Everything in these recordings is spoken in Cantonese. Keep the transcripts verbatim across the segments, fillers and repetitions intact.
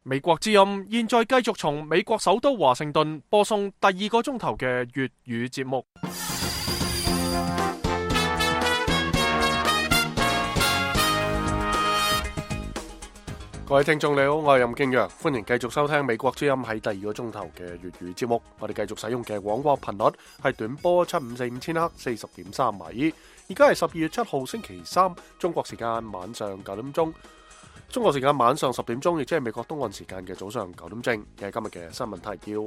美國之音現在繼續從美國首都華盛頓播送第二個鐘頭嘅粵語節目。各位聽眾你好，我係任敬陽，歡迎繼續收聽美國之音喺第二個鐘頭嘅粵語節目。我哋繼續使用嘅廣播頻率係短波七五四五千赫四十點三米。而家係十二月七號星期三，中國時間晚上九點鐘。中國時間晚上十點鐘，亦即係美國東岸時間嘅早上九點正。嘅今日嘅新聞提要：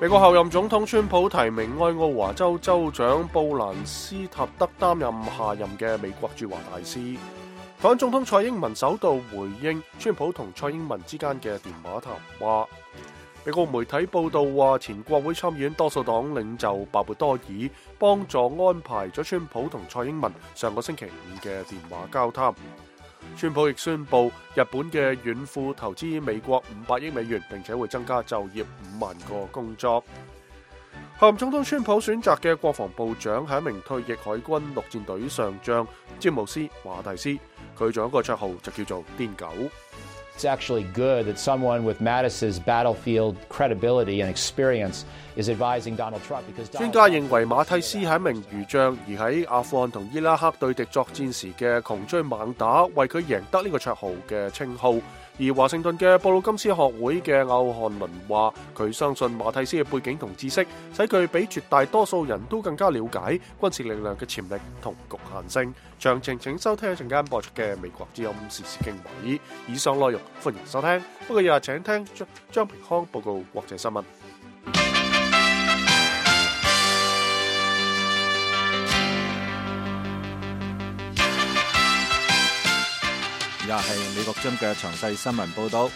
美國候任總統川普提名愛奧華州州長布蘭斯塔德擔任下任嘅美國駐華大使。台灣總統蔡英文首度回應川普同蔡英文之間嘅電話談話。美國媒體報道話，前國會參議院多數黨領袖鮑勃多爾幫助安排咗川普同蔡英文上個星期五嘅電話交談。川普亦宣布日本嘅軟庫投資美國五百億美元，並且會增加就業五萬個工作。候任總統川普選擇嘅國防部長係一名退役海軍陸戰隊上將詹姆斯華蒂斯，佢仲有一個綽號就叫做癲狗。It's actually good that someone with Mattis's battlefield credibility and experience is advising Donald Trump because 專家認為馬蒂斯係一名漁將，而喺阿富汗同伊拉克對敵作戰時嘅窮追猛打，為佢贏得呢個綽號嘅稱號。而華盛頓嘅布魯金斯學會嘅歐漢倫話，佢相信馬蒂斯嘅背景同知識，使佢比絕大多數人都更加了解軍事力量嘅潛力同局限性。詳情請收聽一陣間播出嘅美國之音時事經緯。以上內容歡迎收聽，不過日日請聽張張平康報告國際新聞。而家係美國之音嘅詳細新聞報道。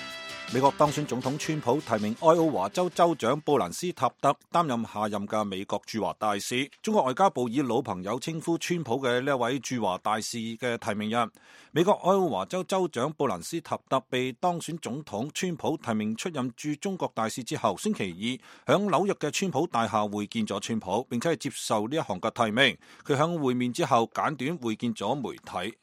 美國當選總統川普提名愛奧華州州長布蘭斯塔德擔任下任嘅美國駐華大使。中國外交部以老朋友稱呼川普嘅呢一位駐華大使嘅提名人。美國愛奧華州州長布蘭斯塔德被當選總統川普提名出任駐中國大使之後，星期二響紐約嘅川普大廈會見咗川普，並且係接受呢一項嘅提名。佢響會面之後簡短會見咗媒體。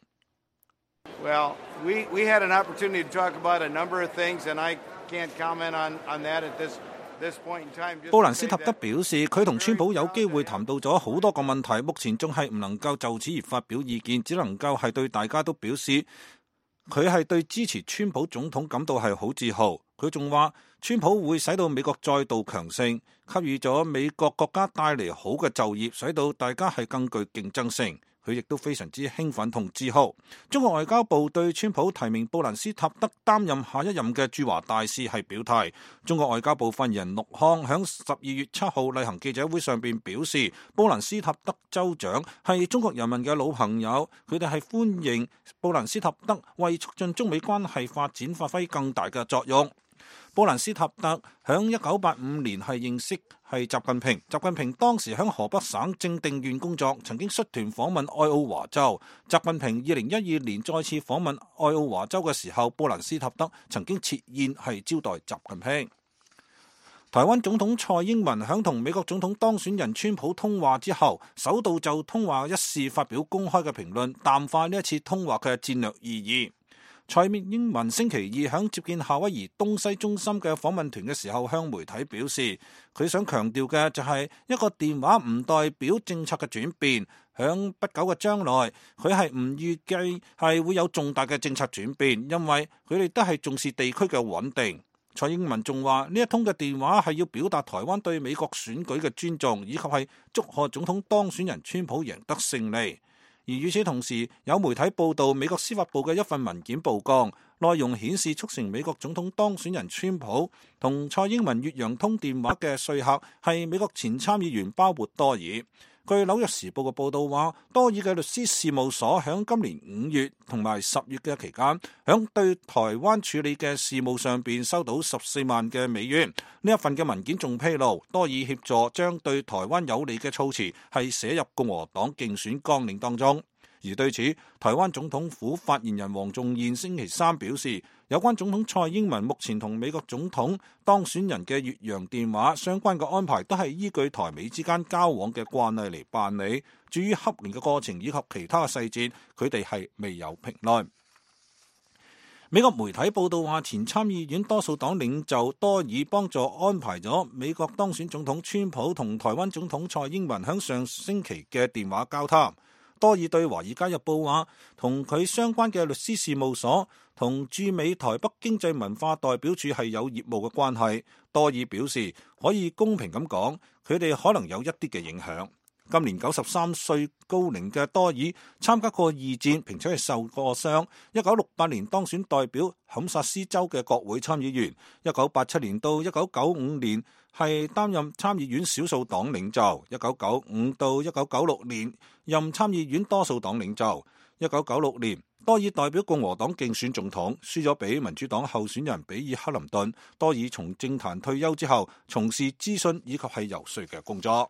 Well, we, we had an opportunity to talk about a number of things, and I can't comment on, on that at this, this point in time. 布蘭斯塔德表示，佢同川普有機會談到咗好多個問題，目前仲係唔能夠就此而發表意見，只能夠係對大家都表示，佢係對支持川普總統感到係好自豪。佢仲話，川普會使到美國再度強盛，給予咗美國國家帶嚟好嘅就業，使到大家係更具競爭性。佢亦都非常之興奮同自豪。中國外交部對川普提名布蘭斯塔德擔任下一任嘅駐華大使係表態。中國外交部發言人陸康響十二月七號例行記者會上邊表示，布蘭斯塔德州長係中國人民嘅老朋友，佢哋係歡迎布蘭斯塔德為促進中美關係發展發揮更大嘅作用。布蘭斯塔德響一九八五年係認識係習近平，習近平當時響河北省正定縣工作，曾經率團訪問愛奧華州。習近平二零一二年再次訪問愛奧華州嘅時候，布蘭斯塔德曾經設宴係招待習近平。台灣總統蔡英文響同美國總統當選人川普通話之後，首度就通話一事發表公開嘅評論，淡化呢一次通話嘅戰略意義。蔡英文星期二響接見夏威夷東西中心嘅訪問團嘅時候，向媒體表示，佢想強調嘅就係一個電話唔代表政策嘅轉變。響不久嘅將來，佢係唔預計係會有重大嘅政策轉變，因為佢哋都係重視地區嘅穩定。蔡英文仲話，呢一通嘅電話係要表達台灣對美國選舉嘅尊重，以及係祝賀總統當選人川普贏得勝利。而與此同時，有媒體報道美國司法部嘅一份文件曝光，內容顯示促成美國總統當選人川普同蔡英文越洋通電話嘅說客係美國前參議員鮑勃多爾。據紐約時報嘅報道話，多爾嘅律師事務所響今年五月同埋十月嘅期間，響對台灣處理嘅事務上邊收到十四萬嘅美元。呢一份嘅文件仲披露，多爾協助將對台灣有利嘅措辭係寫入共和黨競選綱領當中。而對此，台灣總統府發言人黃仲彥星期三表示，有關總統蔡英文目前同美國總統當選人嘅越洋電話相關嘅安排，都係依據台美之間交往嘅慣例嚟辦理。至於洽聯嘅過程以及其他嘅細節，佢哋係未有評論。美國媒體報道話，前參議院多數黨領袖多爾幫助安排咗美國當選總統川普同台灣總統蔡英文響上星期嘅電話交談。多爾對《華爾街日報》話，同佢相關嘅律師事務所同駐美台北經濟文化代表處係有業務嘅關係。多爾表示，可以公平咁講，佢哋可能有一啲嘅影響。今年九十三歲高齡嘅多爾參加過二戰，並且係受過傷。一九六八年當選代表堪薩斯州嘅國會參議員，一九八七年到一九九五年係擔任參議院少數黨領袖，一九九五到一九九六年任參議院多數黨領袖。一九九六年，多爾代表共和黨競選總統，輸咗俾民主黨候選人比爾克林頓。多爾從政壇退休之後，從事諮詢以及係游說嘅工作。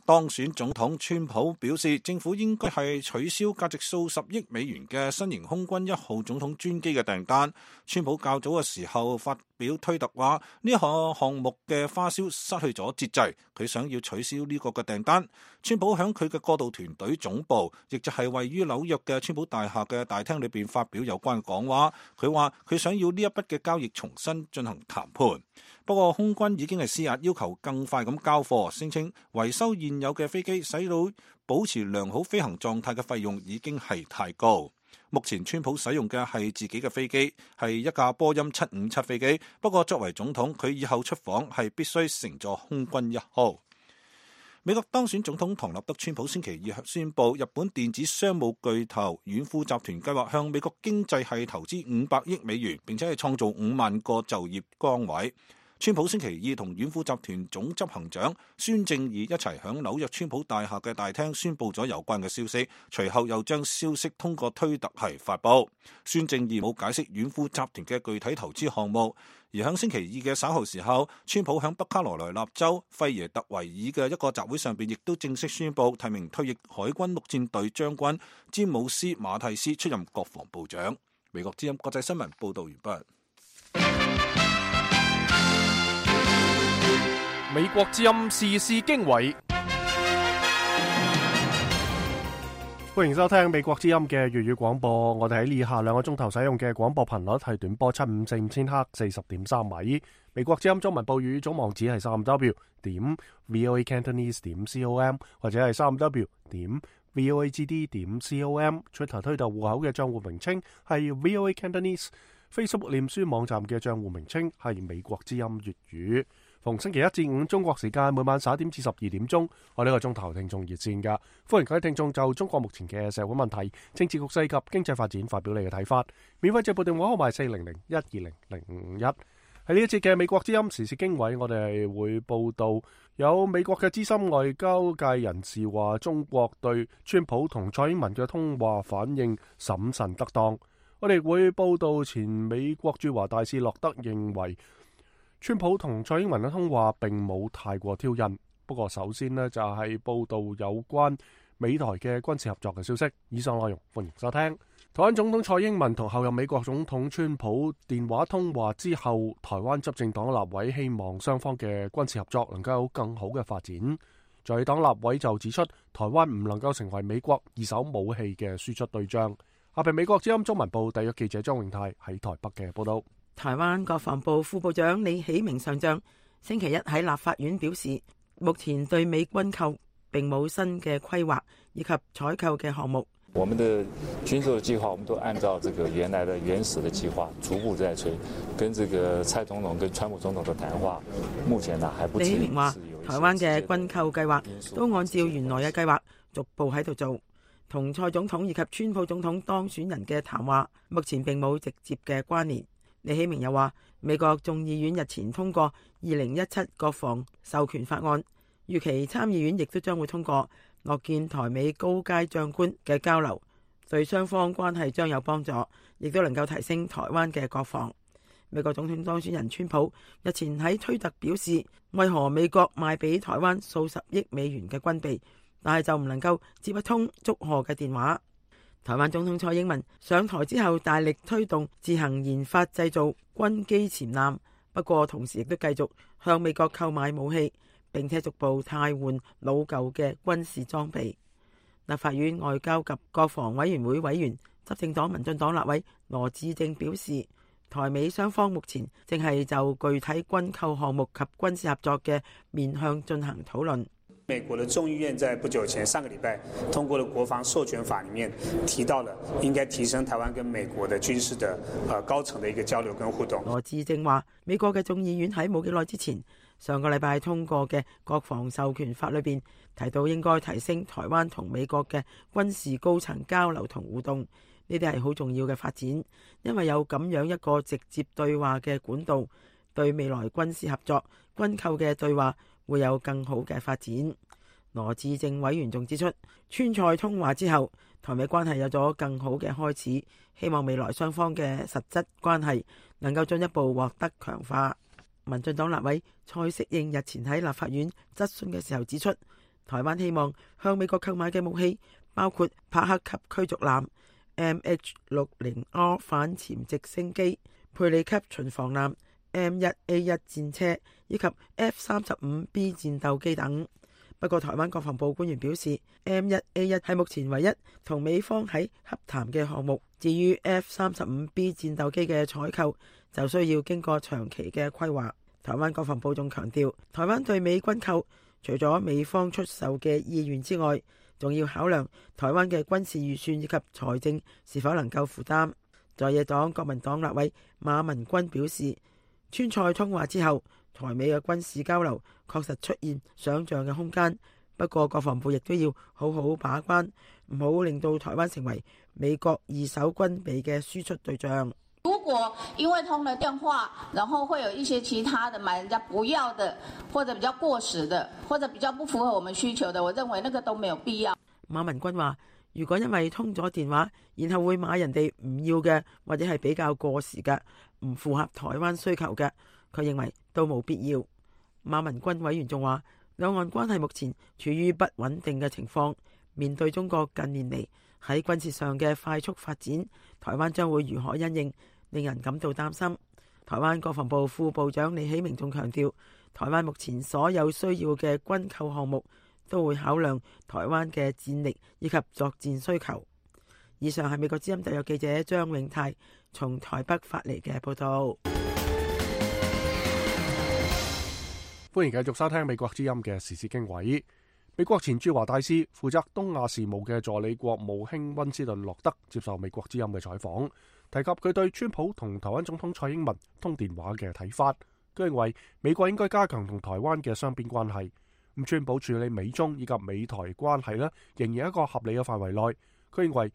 當選總統川普表示，政府應該係取消價值數十億美元嘅新型空軍一號總統專機嘅訂單。川普較早嘅時候發表推特話，呢項項目嘅花銷失去咗節制，佢想要取消呢個嘅訂單。川普響佢嘅過渡團隊總部，亦就係位於紐約嘅川普大廈嘅大廳裏邊發表有關講話。佢話佢想要呢一筆嘅交易重新進行談判。不過空軍已經係施壓，要求更快咁交貨，聲稱維修現有嘅飛機使到保持良好飛行狀態嘅費用已經係太高。目前川普使用嘅係自己嘅飛機，係一架波音七五七飛機。不過作為總統，佢以後出訪係必須乘坐空軍一號。美國當選總統唐納德川普星期二宣布，日本電子商務巨頭軟庫集團計劃向美國經濟係投資五百億美元，並且係創造五萬個就業崗位。川普星期二同軟庫集團總執行長孫正義一齊響紐約川普大廈嘅大廳宣布咗有關嘅消息，隨後又將消息通過推特係發布。孫正義冇解釋軟庫集團嘅具體投資項目。而響星期二嘅稍後時候，川普響北卡羅來納州費耶特維爾嘅一個集會上邊，亦都正式宣布提名退役海軍陸戰隊將軍詹姆斯馬蒂斯出任國防部長。美國之音國際新聞報道完畢。美國之音時事經緯，歡迎收聽美國之音嘅粵語廣播。我哋喺以下兩個鐘頭使用嘅廣播頻率係短波七五四五千赫四十點三米。美國之音中文報語總網址係三 w 點 voacantonese 點 com 或者係三 w 點 voagd 點 com。Twitter 推特戶口嘅賬戶名稱係 voacantonese。Facebook 臉書網站嘅賬戶名稱係美國之音粵語。逢星期一至五中國時間每晚十一點至十二點鐘，我呢個鐘頭聽眾熱線噶，歡迎各位聽眾就中國目前嘅社會問題、政治局勢及經濟發展發表你嘅睇法。免費直播電話號碼四零零一二零零五一。喺呢一節嘅美國之音時事經緯，我哋會報道有美國嘅資深外交界人士話，中國對川普同蔡英文嘅通話反應審慎得當。我哋會報道前美國駐華大使洛德認為，川普同蔡英文嘅通話並冇太過挑釁。不過首先呢，就係報道有關美台嘅軍事合作嘅消息。以上內容歡迎收聽。台灣總統蔡英文同後任美國總統川普電話通話之後，台灣執政黨立委希望雙方嘅軍事合作能夠有更好嘅發展。在黨立委就指出，台灣唔能夠成為美國二手武器嘅輸出對象。下邊美國之音中文部特約記者張永泰喺台北嘅報道。台灣國防部副部長李喜明上將星期一喺立法院表示，目前對美軍購並冇新嘅規劃以及採購嘅項目。我們的軍售計劃，我們都按照這個原來的原始的計劃逐步在推，跟這個蔡總統跟川普總統的談話，目前呢還不至於。李喜明話，台灣嘅軍購計劃都按照原來嘅計劃逐步喺度做，同蔡總統以及川普總統當選人嘅談話目前並冇直接嘅關聯。李喜明又話，美國眾議院日前通過二零一七國防授權法案，預期參議院亦都將會通過，樂見台美高階將官嘅交流，對雙方關係將有幫助，亦都能夠提升台灣嘅國防。美國總統當選人川普日前喺推特表示，為何美國賣俾台灣數十億美元嘅軍備，但係就唔能夠接一通祝賀嘅電話。台灣總統蔡英文上台之後，大力推動自行研發製造軍機潛艦，不過同時亦都繼續向美國購買武器，並且逐步汰換老舊嘅軍事裝備。立法院外交及國防委員會委員、執政黨民進黨立委羅致政表示，台美雙方目前正係就具體軍購項目及軍事合作嘅面向進行討論。美國的眾議院在不久前上個禮拜通過了國防授權法，裡面提到了應該提升台灣跟美國的軍事的呃高層的一個交流跟互動。羅致政話，美國嘅眾議院喺冇幾耐之前上個禮拜通過嘅國防授權法裏邊提到，應該提升台灣同美國嘅軍事高層交流同互動，呢啲係好重要嘅發展，因為有咁樣一個直接對話嘅管道，對未來軍事合作、軍購嘅對話會有更好嘅發展。羅致政委員仲指出，川菜通話之後，台美關係有咗更好嘅開始，希望未來雙方嘅實質關係能夠進一步獲得強化。民進黨立委蔡適應日前喺立法院質詢嘅時候指出，台灣希望向美國購買嘅武器包括帕克級驅逐艦、M H 六十 R 反潛直升機、佩里級巡防艦、M 一 A 一 戰車以及 F 三十五 B 戰鬥機等。不過，台灣國防部官員表示 ，M 一 A 一 係目前唯一同美方喺洽談嘅項目。至於 F 三十五 B 戰鬥機嘅採購，就需要經過長期嘅規劃。台灣國防部仲強調，台灣對美軍購，除咗美方出售嘅意願之外，仲要考量台灣嘅軍事預算以及財政是否能夠負擔。在野黨國民黨立委馬文君表示，川菜通話之後，台美嘅軍事交流確實出現想像嘅空間，不過國防部亦都要好好把關，唔好令到台灣成為美國二手軍備嘅輸出對象。如果因為通了電話，然後會有一些其他的買人家不要的，或者比較過時的，或者比較不符合我們需求的，我認為那個都沒有必要。馬文君話，如果因為通咗電話，然後會買人哋唔要嘅，或者係比較過時嘅，唔符合台灣需求嘅，佢認為都冇必要。馬文君委員仲話，兩岸關係目前處於不穩定嘅情況，面對中國近年嚟喺軍事上嘅快速發展，台灣將會如何因應，令人感到擔心。台灣國防部副部長李喜明仲強調，台灣目前所有需要嘅軍購項目都會考量台灣嘅戰力以及作戰需求。以上係美國之音特約記者張永泰從台北發嚟嘅報道。歡迎繼續收聽美國之音嘅時事經緯。美國前駐華大使、負責東亞事務嘅助理國務卿溫斯頓洛德接受美國之音嘅採訪，提及佢對川普同台灣總統蔡英文通電話嘅睇法。佢認為美國應該加強同台灣嘅雙邊關係。咁川普處理美中以及美台關係呢，仍然喺一個合理嘅範圍內。佢認為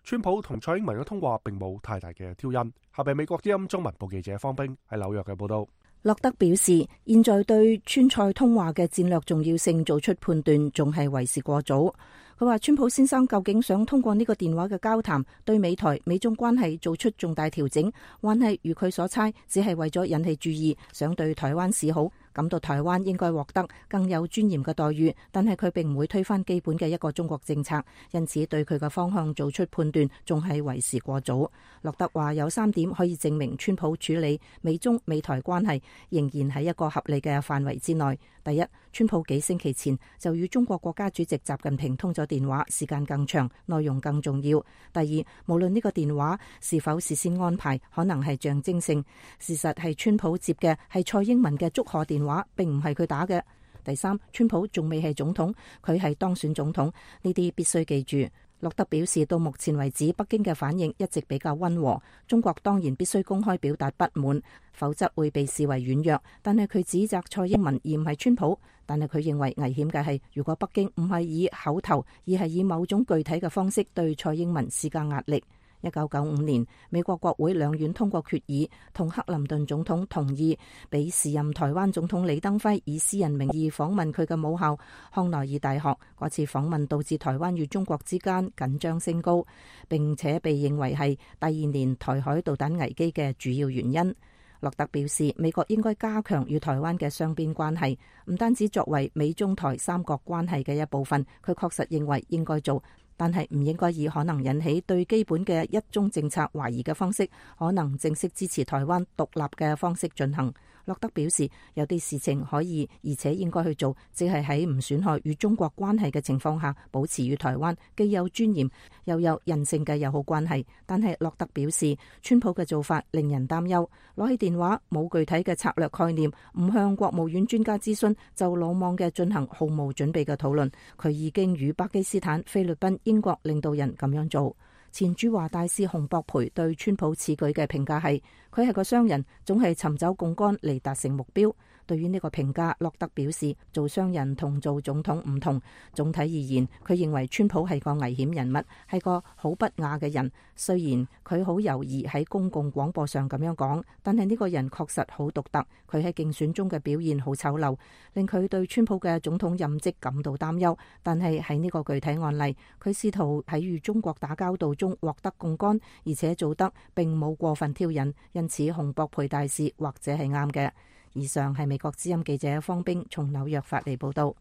川普同蔡英文嘅通話並冇太大嘅挑釁。下邊美國之音中文部記者方冰喺紐約嘅報道。洛德表示，現在對川蔡通話嘅戰略重要性做出判斷，仲係為時過早。佢話川普先生究竟想通過呢個電話嘅交談，對美台美中關係做出重大調整，還係如佢所猜，只係為咗引起注意，想對台灣示好，感到台灣應該獲得更有尊嚴嘅待遇，但係佢並唔會推翻基本嘅一個中國政策，因此對佢嘅方向做出判斷仲係為時過早。洛德話有三點可以證明川普處理美中美台關係仍然喺一個合理嘅範圍之內。第一，川普幾星期前就與中國國家主席習近平通咗電話，時間更長，內容更重要。第二，無論呢個電話是否事先安排，可能係象徵性，事實係川普接嘅係蔡英文嘅祝賀電話，並唔係佢打嘅。第三，川普仲未係總統，佢係當選總統，呢啲必須記住。洛德表示，到目前為止，北京嘅反應一直比較溫和。中國當然必須公開表達不滿，否則會被視為軟弱。但係佢指責蔡英文而唔係川普。但係佢認為危險嘅係，如果北京唔係以口頭，而係以某種具體嘅方式對蔡英文施加壓力。一九九五年，美國國會兩院通過決議，同克林頓總統同意俾時任台灣總統李登輝以私人名義訪問佢嘅母校康奈爾大學。嗰次訪問導致台灣與中國之間緊張升高，並且被認為係第二年台海導彈危機嘅主要原因。洛特表示，美國應該加強與台灣嘅雙邊關係，唔單止作為美中台三角關係嘅一部分，佢確實認為應該做，但係唔應該以可能引起對基本嘅一中政策懷疑嘅方式，可能正式支持台灣獨立嘅方式進行。洛德表示，有啲事情可以而且應該去做，即係喺唔損害與中國關係嘅情況下，保持與台灣既有尊嚴又有人性嘅友好關係。但係洛德表示，川普嘅做法令人擔憂，攞起電話冇具體嘅策略概念，唔向國務院專家諮詢，就魯莽嘅進行毫無準備嘅討論。佢已經與巴基斯坦、菲律賓、英國領導人咁樣做。前駐華大使洪博培對川普此舉嘅評價係，佢係個商人，總係尋找槓桿嚟達成目標。對於呢個評價，洛德表示，做商人同做總統唔同。總體而言，佢認為川普係個危險人物，係個好不雅嘅人。雖然佢好猶豫喺公共廣播上咁樣講，但係呢個人確實好獨特。佢喺競選中嘅表現好醜陋，令佢對川普嘅總統任職感到擔憂。但係喺呢個具體案例，佢試圖喺與中國打交道中獲得槓桿，而且做得並冇過分挑釁，因此洪博培大使或者係啱嘅。以上係美國之音記者方冰從紐約發嚟報道。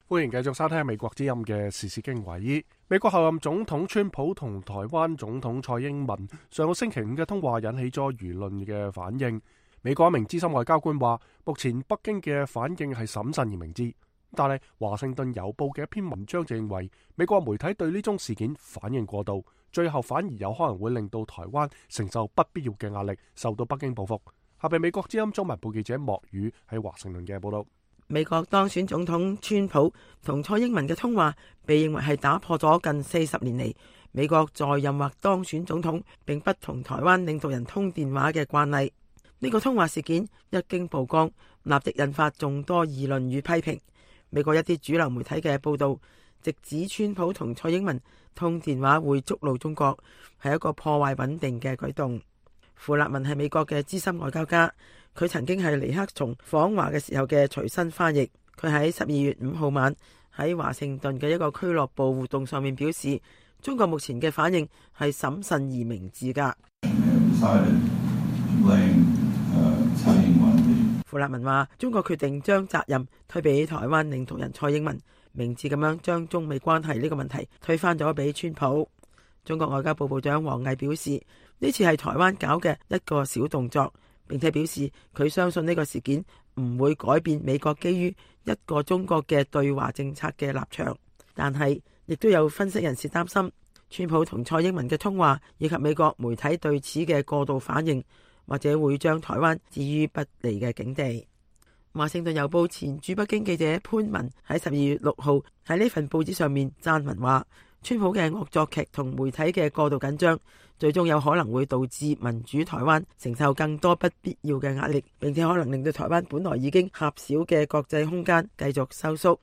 歡迎繼續收聽美國之音嘅時事經緯。美國候任總統川普同台灣總統蔡英文上個星期五嘅通話引起咗輿論嘅反應。美國一名資深外交官話，目前北京嘅反應係審慎而明智，但係華盛頓郵報嘅一篇文章就認為美國媒體對呢宗事件反應過度，最後反而有可能會令到台灣承受不必要嘅壓力，受到北京報復。下邊美國之音中文部記者莫宇喺華盛頓嘅報道。美國當選總統川普同蔡英文嘅通話被認為係打破咗近四十年嚟美國在任或當選總統並不同台灣領導人通電話嘅慣例。呢個通話事件一經曝光，立即引發眾多議論與批評。美國一啲主流媒體嘅報道直指川普同蔡英文通電話會觸怒中國，係一個破壞穩定嘅舉動。傅立文係美國嘅資深外交家，佢曾經係尼克松訪華嘅時候嘅隨身翻譯。佢喺十二月五號晚喺華盛頓嘅一個俱樂部活動上面表示，中國目前嘅反應係審慎而明智㗎。傅立文話，中國決定將責任推俾台灣領導人蔡英文，明智咁樣將中美關係呢個問題推翻咗俾川普。中國外交部部長王毅表示，呢次係台灣搞嘅一個小動作，並且表示佢相信呢個事件唔會改變美國基於一個中國嘅對華政策嘅立場。但係亦都有分析人士擔心，川普同蔡英文嘅通話以及美國媒體對此嘅過度反應，或者會將台灣置於不利嘅境地。華盛頓郵報前駐北京記者潘文喺十二月六號喺呢份報紙上面撰文話，川普嘅惡作劇同媒體嘅過度緊張，最終有可能會導致民主台灣承受更多不必要嘅壓力，並且可能令到台灣本來已經狹小嘅國際空間繼續收縮。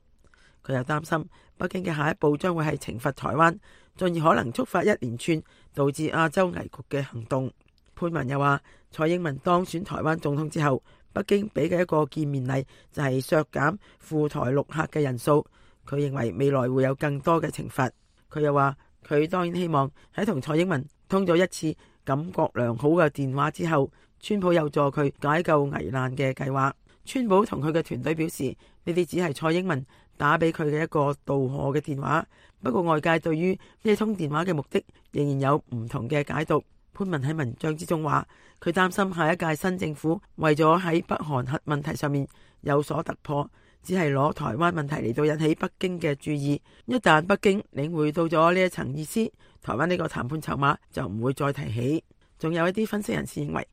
佢又擔心北京嘅下一步將會係懲罰台灣，進而可能觸發一連串導致亞洲危局嘅行動。潘文又話，蔡英文當選台灣總統之後，北京俾嘅一個見面禮就係削減赴台陸客嘅人數。佢認為未來會有更多嘅懲罰。佢又話，佢當然希望喺同蔡英文通咗一次感覺良好嘅電話之後，川普有助佢解救危難嘅計劃。川普同佢嘅團隊表示，呢啲只係蔡英文打俾佢嘅一個道賀嘅電話。不過外界對於呢通電話嘅目的仍然有唔同嘅解讀。潘文喺文章之中話，佢擔心下一屆新政府為咗喺北韓核問題上面有所突破，只係攞台灣問題嚟到引起北京嘅注意。一旦北京領會到咗呢一層意思，台灣呢個談判籌碼就唔會再提起。仲有一啲分析人士認為，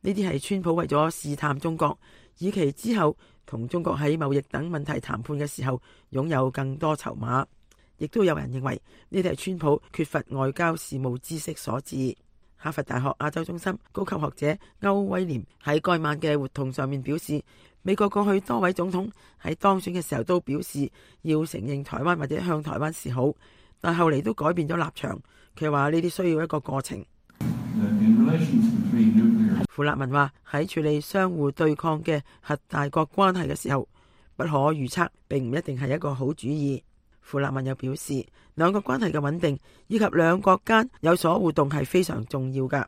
呢啲係川普為咗試探中國，以期之後同中國喺貿易等問題談判嘅時候擁有更多籌碼。亦都有人認為呢啲係川普缺乏外交事務知識所致。哈佛大學亞洲中心高級學者歐威廉喺該晚嘅活動上面表示，美國過去多位總統喺當選嘅時候都表示要承認台灣或者向台灣示好，但後嚟都改變咗立場。佢話呢啲需要一個過程。傅立文話，喺處理相互對抗嘅核大國關係嘅時候，不可預測並唔一定係一個好主意。傅立文又表示，兩國關係嘅穩定以及兩國間有所互動係非常重要㗎。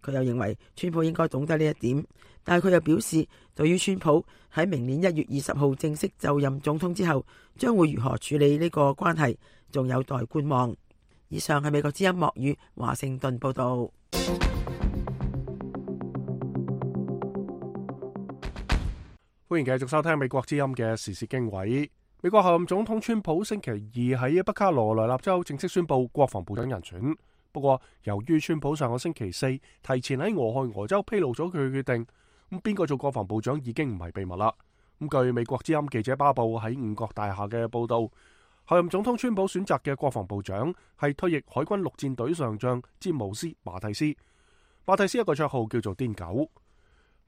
佢又認為川普應該懂得呢一點，但係佢又表示，對於川普喺明年一月二十號正式就任總統之後，將會如何處理呢個關係，仲有待觀望。以上係美國之音莫語華盛頓報道。歡迎繼續收聽美國之音嘅時事經緯。美國候任總統川普星期二喺北卡羅來納州正式宣布國防部長人選。不過，由於川普上個星期四提前喺俄亥俄州披露咗佢嘅決定，咁邊個做國防部長已經唔係秘密啦。咁據美國之音記者巴布喺五角大廈嘅報道，候任總統川普選擇嘅國防部長係退役海軍陸戰隊上將詹姆斯馬蒂斯。馬蒂斯一個綽號叫做癲狗。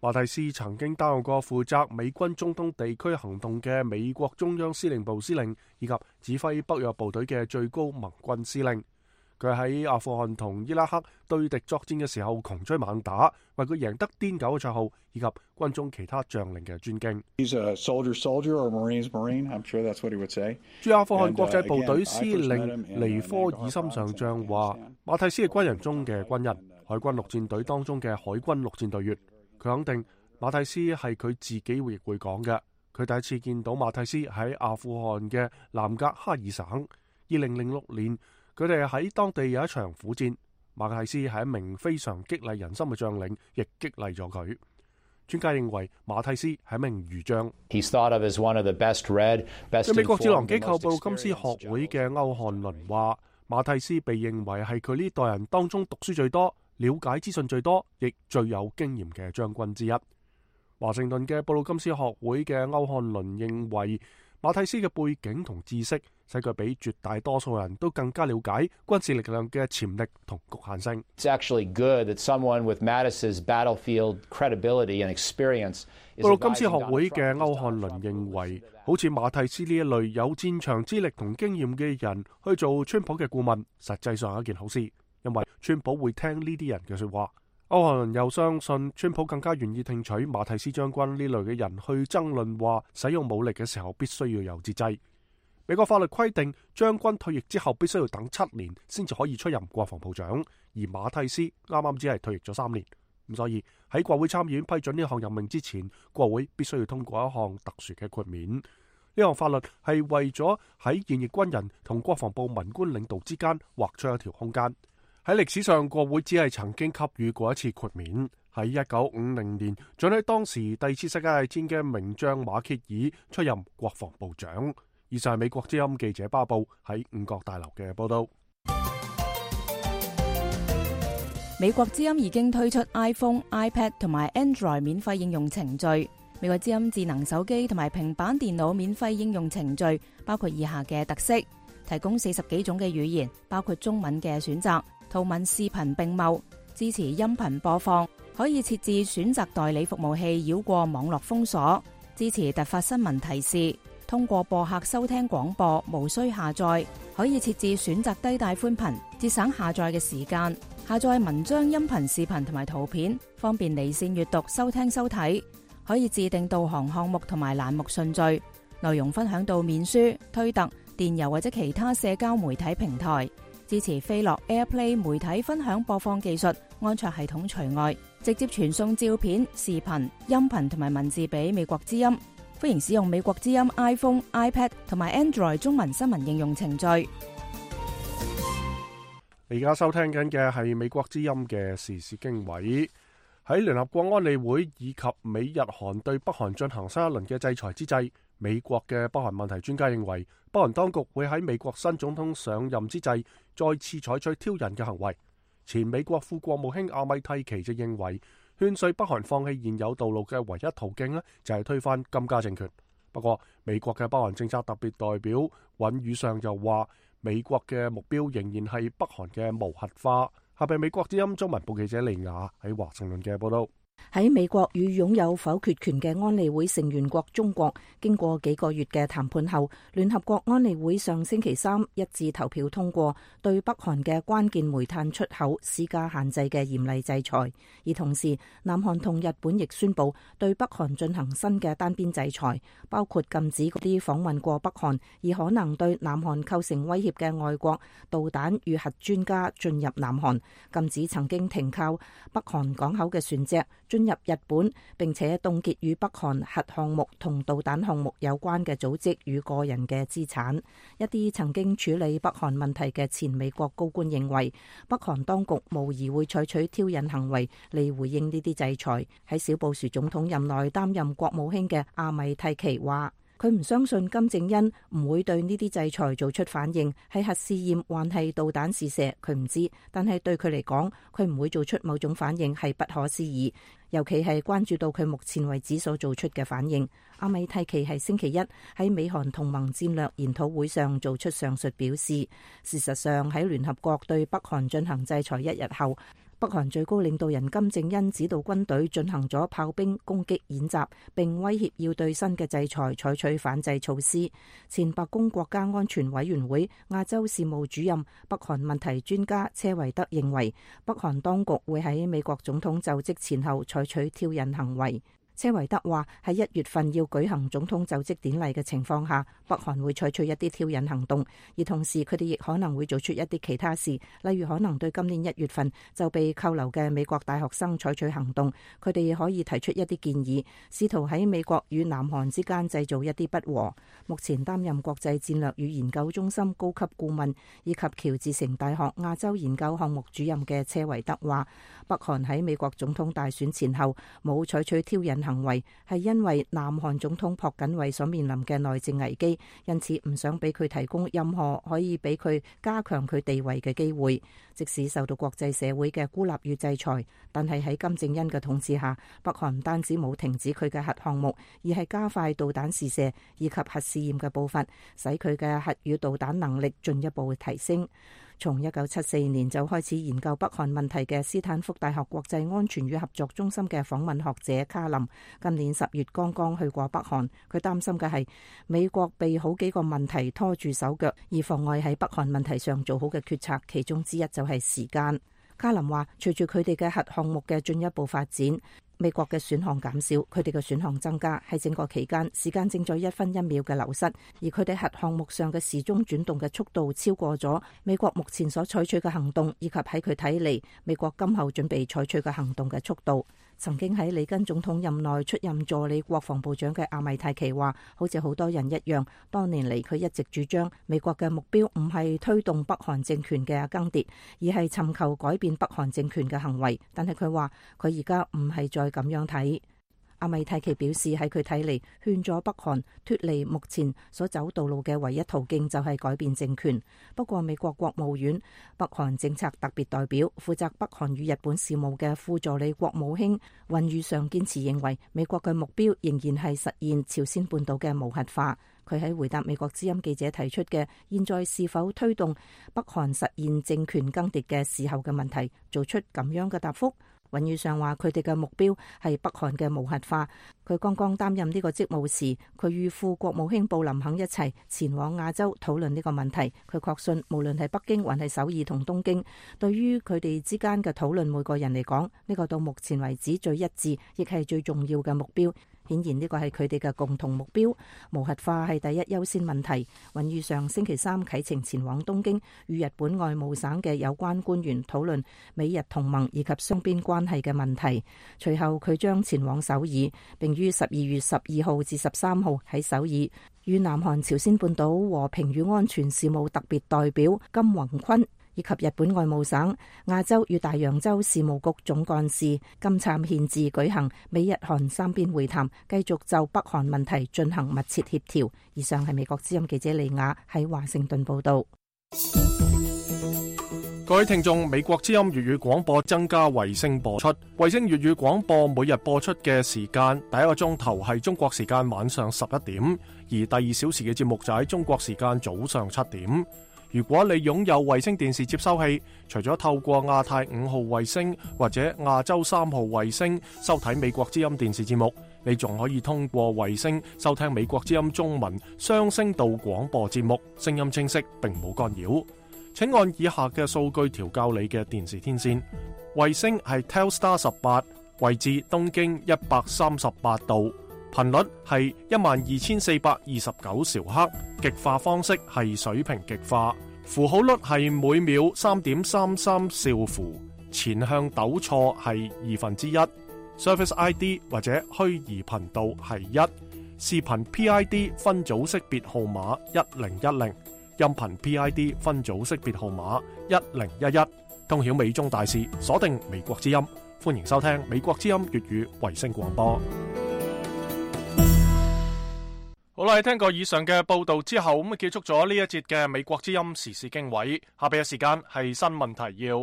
馬蒂斯曾經擔任過負責美軍中東地區行動嘅美國中央司令部司令，以及指揮北約部隊嘅最高盟軍司令。佢喺阿富汗同伊拉克對敵作戰嘅時候窮追猛打，為佢贏得癲狗嘅綽號，以及軍中其他將領嘅尊敬。駐阿富汗國際部隊司令尼科爾森上將話：馬蒂斯係軍人中嘅軍人，海軍陸戰隊當中嘅海軍陸戰隊員。佢肯定馬蒂斯係佢自己亦會講嘅。佢第一次見到馬蒂斯喺阿富汗嘅南格哈爾省，二零零六年。佢哋喺當地有一場苦戰，馬蒂斯係一名非常激勵人心嘅將領，亦激勵咗佢。專家認為馬蒂斯係一名儒將。喺美國智囊機構布魯金斯學會嘅歐漢倫話，馬蒂斯被認為係佢呢代人當中讀書最多、了解資訊最多，亦最有經驗嘅將軍之一。華盛頓嘅布魯金斯學會嘅歐漢倫認為，馬蒂斯嘅背景同知識使佢比絕大多數人都更加了解軍事力量嘅潛力同局限性。布魯金斯學會嘅歐漢倫認為，好似馬蒂斯呢一類有戰場資歷同經驗嘅人去做川普嘅顧問，實際上係一件好事，因為川普會聽呢啲人嘅說話。歐漢倫又相信，川普更加願意聽取馬蒂斯將軍呢類嘅人去爭論話，使用武力嘅時候必須要有節制。美國法律規定，將軍退役之後必須要等七年先至可以出任國防部長，而馬蒂斯啱啱只係退役咗三年，咁所以喺國會參議院批准呢項任命之前，國會必須要通過一項特殊嘅豁免。呢項法律係為咗喺現役軍人同國防部文官領導之間劃出一條空間。喺歷史上，國會只係曾經給予過一次豁免，喺一九五零年准許當時第二次世界大戰嘅名將馬歇爾出任國防部長。以上係美國之音記者巴布喺五角大樓嘅報道。美國之音已經推出 iPhone、iPad 同埋 Android 免費應用程序。美國之音智能手機同埋平板電腦免費應用程序包括以下嘅特色：提供四十幾種嘅語言，包括中文嘅選擇，圖文視頻並茂，支持音頻播放，可以設置選擇代理服務器繞過網絡封鎖，支持突發新聞提示，通過播客收聽廣播，無需下載，可以設置選擇低帶寬頻，節省下載嘅時間，下載文章、音頻、視頻同埋圖片，方便離線閱讀、收聽收睇，可以自定導航項目同埋欄目順序，內容分享到面書、推特、電郵或者其他社交媒體平台，支持飛樂 AirPlay 媒體分享播放技術，安卓系統除外，直接傳送照片、視頻、音頻同埋文字俾美國之音。歡迎使用美國之音 iPhone、iPad 同埋 Android 中文新聞應用程序。你而家收聽緊嘅係美國之音嘅時事經緯。喺聯合國安理會以及美日韓對北韓進行新一輪嘅制裁之際，美國嘅北韓問題專家認為，北韓當局會喺美國新總統上任之際再次採取挑釁嘅行為。前美國副國務卿阿米蒂奇就認為，勸說北韓放棄現有道路嘅唯一途徑呢，就係推翻金家政權。不過，美國嘅北韓政策特別代表尹宇尚又話，美國嘅目標仍然係北韓嘅無核化。下邊美國之音中文部記者李雅喺華盛頓嘅報道。喺美國與擁有否決權嘅安理會成員國中國，經過幾個月嘅談判後，聯合國安理會上星期三一致投票通過對北韓嘅關鍵煤炭出口施加限制嘅嚴厲制裁。而同時，南韓同日本亦宣布對北韓進行新嘅單邊制裁，包括禁止嗰啲訪問過北韓而可能對南韓構成威脅嘅外國導彈與核專家進入南韓，禁止曾經停靠北韓港口嘅船隻進入日本，並且凍結與北韓核項目同導彈項目有關嘅組織與個人嘅資產。一啲曾經處理北韓問題嘅前美國高官認為，北韓當局無疑會採取挑釁行為嚟回應呢啲制裁。喺小布殊總統任內擔任國務卿嘅阿米蒂奇話，佢唔相信金正恩唔會對呢啲制裁做出反應，係核試驗還係導彈試射，佢唔知。但係對佢嚟講，佢唔會做出某種反應係不可思議，尤其係關注到佢目前為止所做出嘅反應。阿米蒂奇係星期一喺美韓同盟戰略研討會上做出上述表示。事實上，喺聯合國對北韓進行制裁一日後，北韓最高領導人金正恩指導軍隊進行咗炮兵攻擊演習，並威脅要對新嘅制裁採取反制措施。前白宮國家安全委員會亞洲事務主任、北韓問題專家車維德認為，北韓當局會喺美國總統就職前後採取挑釁行為。車維德話，喺一月份要舉行總統就職典禮嘅情況下，北韓會採取一啲挑釁行動，而同時佢哋亦可能會做出一啲其他事，例如可能對今年一月份就被扣留嘅美國大學生採取行動。佢哋亦可以提出一啲建議，試圖喺美國與南韓之間製造一啲不和。目前擔任國際戰略與研究中心高級顧問以及喬治城大學亞洲研究項目主任嘅車維德話，北韓喺美國總統大選前後冇採取挑釁行為，係因為南韓總統朴槿惠所面臨嘅內政危機，因此唔想俾佢提供任何可以俾佢加強佢地位嘅機會。即使受到國際社會嘅孤立與制裁，但係喺金正恩嘅統治下，北韓唔單止冇停止佢嘅核項目，而係加快導彈試射以及核試驗嘅步伐，使佢嘅核與導彈能力進一步提升。從一九七四年就開始研究北韓問題嘅斯坦福大學國際安全與合作中心嘅訪問學者卡林，今年十月剛剛去過北韓。佢擔心嘅係美國被好幾個問題拖住手腳，而妨礙喺北韓問題上做好嘅決策，其中之一就係時間。卡林話，隨住佢哋嘅核項目嘅進一步發展，美國嘅選項減少，佢哋嘅選項增加，喺整個期間時間正在一分一秒嘅流失，而佢哋核項目上嘅時鐘轉動嘅速度超過咗美國目前所採取嘅行動，以及喺佢睇嚟美國今後準備採取嘅行動嘅速度。曾經喺里根總統任內出任助理國防部長嘅阿米泰奇話，好似好多人一樣，多年嚟佢一直主張美國嘅目標唔係推動北韓政權嘅更迭，而係尋求改變北韓政權嘅行為。但係佢話佢而家唔係再咁樣睇。阿米泰奇表示，喺佢睇嚟，勸咗北韓脫離目前所走道路嘅唯一途徑就係改變政權。不過美國國務院北韓政策特別代表、負責北韓與日本事務嘅副助理國務卿尹宇尚堅持認為，美國嘅目標仍然係實現朝鮮半島嘅無核化。佢喺回答美國之音記者提出嘅現在是否推動北韓實現政權更迭嘅時候嘅問題，做出咁樣嘅答覆。尹宇尚話：佢哋嘅目標係北韓嘅無核化。佢剛剛擔任呢個職務時，佢與副國務卿布林肯一齊前往亞洲討論呢個問題。佢確信，無論係北京還係首爾同東京，對於佢哋之間嘅討論，每個人嚟講，呢個到目前為止最一致，亦係最重要嘅目標。顯然呢個係佢哋嘅共同目標，無核化係第一優先問題。尹宇尚星期三啟程前往東京，與日本外務省嘅有關官員討論美日同盟以及雙邊關係嘅問題。隨後佢將前往首爾，並於十二月十二號至十三號喺首爾與南韓朝鮮半島和平與安全事務特別代表金宏坤以及日本外務省亞洲與大洋洲事務局總幹事金燦憲治舉行美日韓三邊會談，繼續就北韓問題進行密切協調。以上係美國之音記者李雅喺華盛頓報道。各位聽眾，美國之音粵語廣播增加衛星播出，衛星粵語廣播每日播出嘅時間，第一個鐘頭係中國時間晚上十一點，而第二小時嘅節目就喺中國時間早上七點。如果你擁有衛星電視接收器，除咗透過亞太五號衛星或者亞洲三號衛星收睇美國之音電視節目，你仲可以通過衛星收聽美國之音中文雙聲道廣播節目，聲音清晰並冇干擾。請按以下嘅數據調校你嘅電視天線。衛星係 Telstar 十八，位置東經一百三十八度，頻率係一萬二千四百二十九兆赫，極化方式係水平極化，符號率係每秒三點三三兆符，前向抖錯係二分之一，Service I D 或者虛擬頻道係一，視頻 P I D 分組識別號碼一零一零，音頻 P I D 分組識別號碼一零一一，通曉美中大事，鎖定美國之音，歡迎收聽美國之音粵語衛星廣播。好啦，聽過以上嘅報道之後，咁啊結束咗呢一節嘅美國之音時事經緯。下邊嘅時間係新聞提要。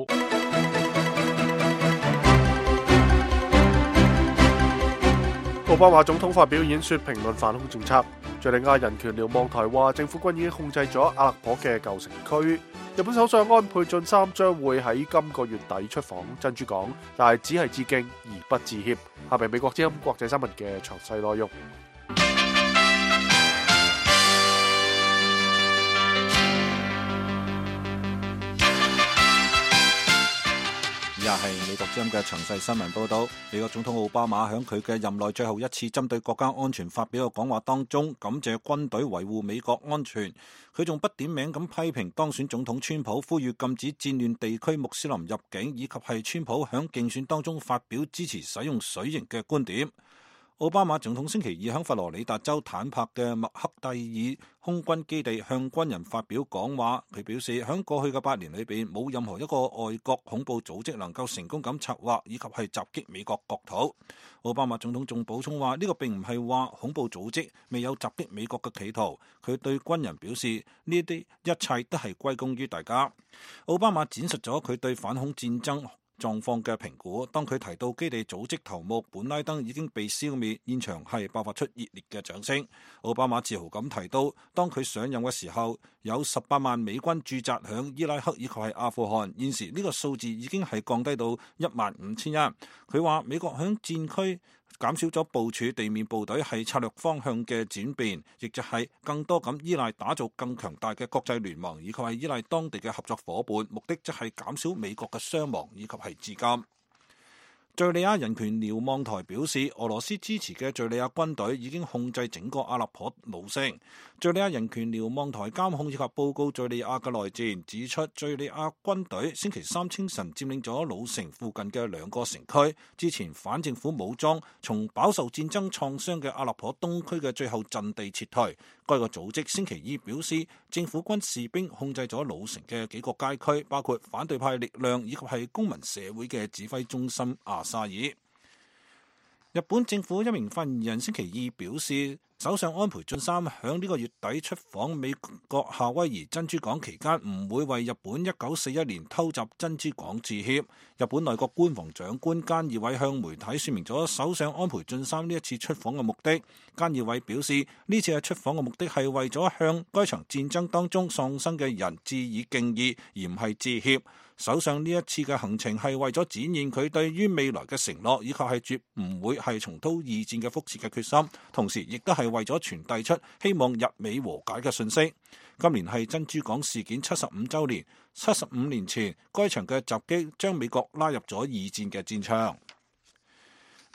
奧巴馬總統發表演說評論反恐政策。敘利亞人權瞭望台話，政府軍已經控制咗阿勒頗嘅舊城區。日本首相安倍晉三將會喺今個月底出訪珍珠港，但係只係致敬而不致歉。下邊美國之音國際新聞嘅詳細內容。以下係美國之音嘅詳細新聞報道。美國總統奧巴馬喺佢嘅任內最後一次針對國家安全發表嘅講話當中，感謝軍隊維護美國安全。佢仲不點名咁批評當選總統川普，呼籲禁止戰亂地區穆斯林入境，以及係川普喺競選當中發表支持使用水刑嘅觀點。奧巴馬總統星期二喺佛羅里達州坦帕嘅麥克蒂爾空軍基地向軍人發表講話，佢表示喺過去嘅八年裏邊，冇任何一個外國恐怖組織能夠成功咁策劃以及係襲擊美國國土。奧巴馬總統仲補充話，呢個並唔係話恐怖組織未有襲擊美國嘅企圖。佢對軍人表示，呢啲一切都係歸功於大家。奧巴馬展述咗佢對反恐戰爭狀況嘅評估。當佢提到基地組織頭目本拉登已經被消滅，現場係爆發出熱烈嘅掌聲。奧巴馬自豪咁提到，當佢上任嘅時候，有十八萬美軍駐紮響伊拉克以及係阿富汗，現時呢個數字已經係降低到一萬五千人。佢話美國響戰區減少咗部署地面部隊係策略方向嘅轉變，亦就係更多咁依賴打造更強大嘅國際聯盟，以及係依賴當地嘅合作夥伴，目的即係減少美國嘅傷亡以及係資金。敘利亞人權瞭望台表示，俄羅斯支持嘅敘利亞軍隊已經控制整個阿勒頗老城。敘利亞人權瞭望台監控以及報告敘利亞嘅內戰，指出敘利亞軍隊星期三清晨佔領咗老城附近嘅兩個城區。之前反政府武裝從飽受戰爭創傷嘅阿勒頗東區嘅最後陣地撤退。該個組織星期二表示，政府軍士兵控制咗老城嘅幾個街區，包括反對派力量以及係公民社會嘅指揮中心阿沙爾。日本政府一名發言人星期二表示，首相安倍晉三響呢個月底出訪美國夏威夷珍珠港期間，唔會為日本一九四一年偷襲珍珠港致歉。日本內閣官房長官菅義偉向媒體說明咗首相安倍晉三呢一次出訪嘅目的。菅義偉表示，呢次嘅出訪嘅目的係為咗向該場戰爭當中喪生嘅人致以敬意，而唔係致歉。首相呢一次嘅行程係為咗展現佢對於未來嘅承諾，以及係絕唔會係重蹈二戰嘅覆轍嘅決心，同時亦都係為咗傳遞出希望日美和解嘅訊息。今年係珍珠港事件七十五週年，七十五年前該場嘅襲擊將美國拉入咗二戰嘅戰場。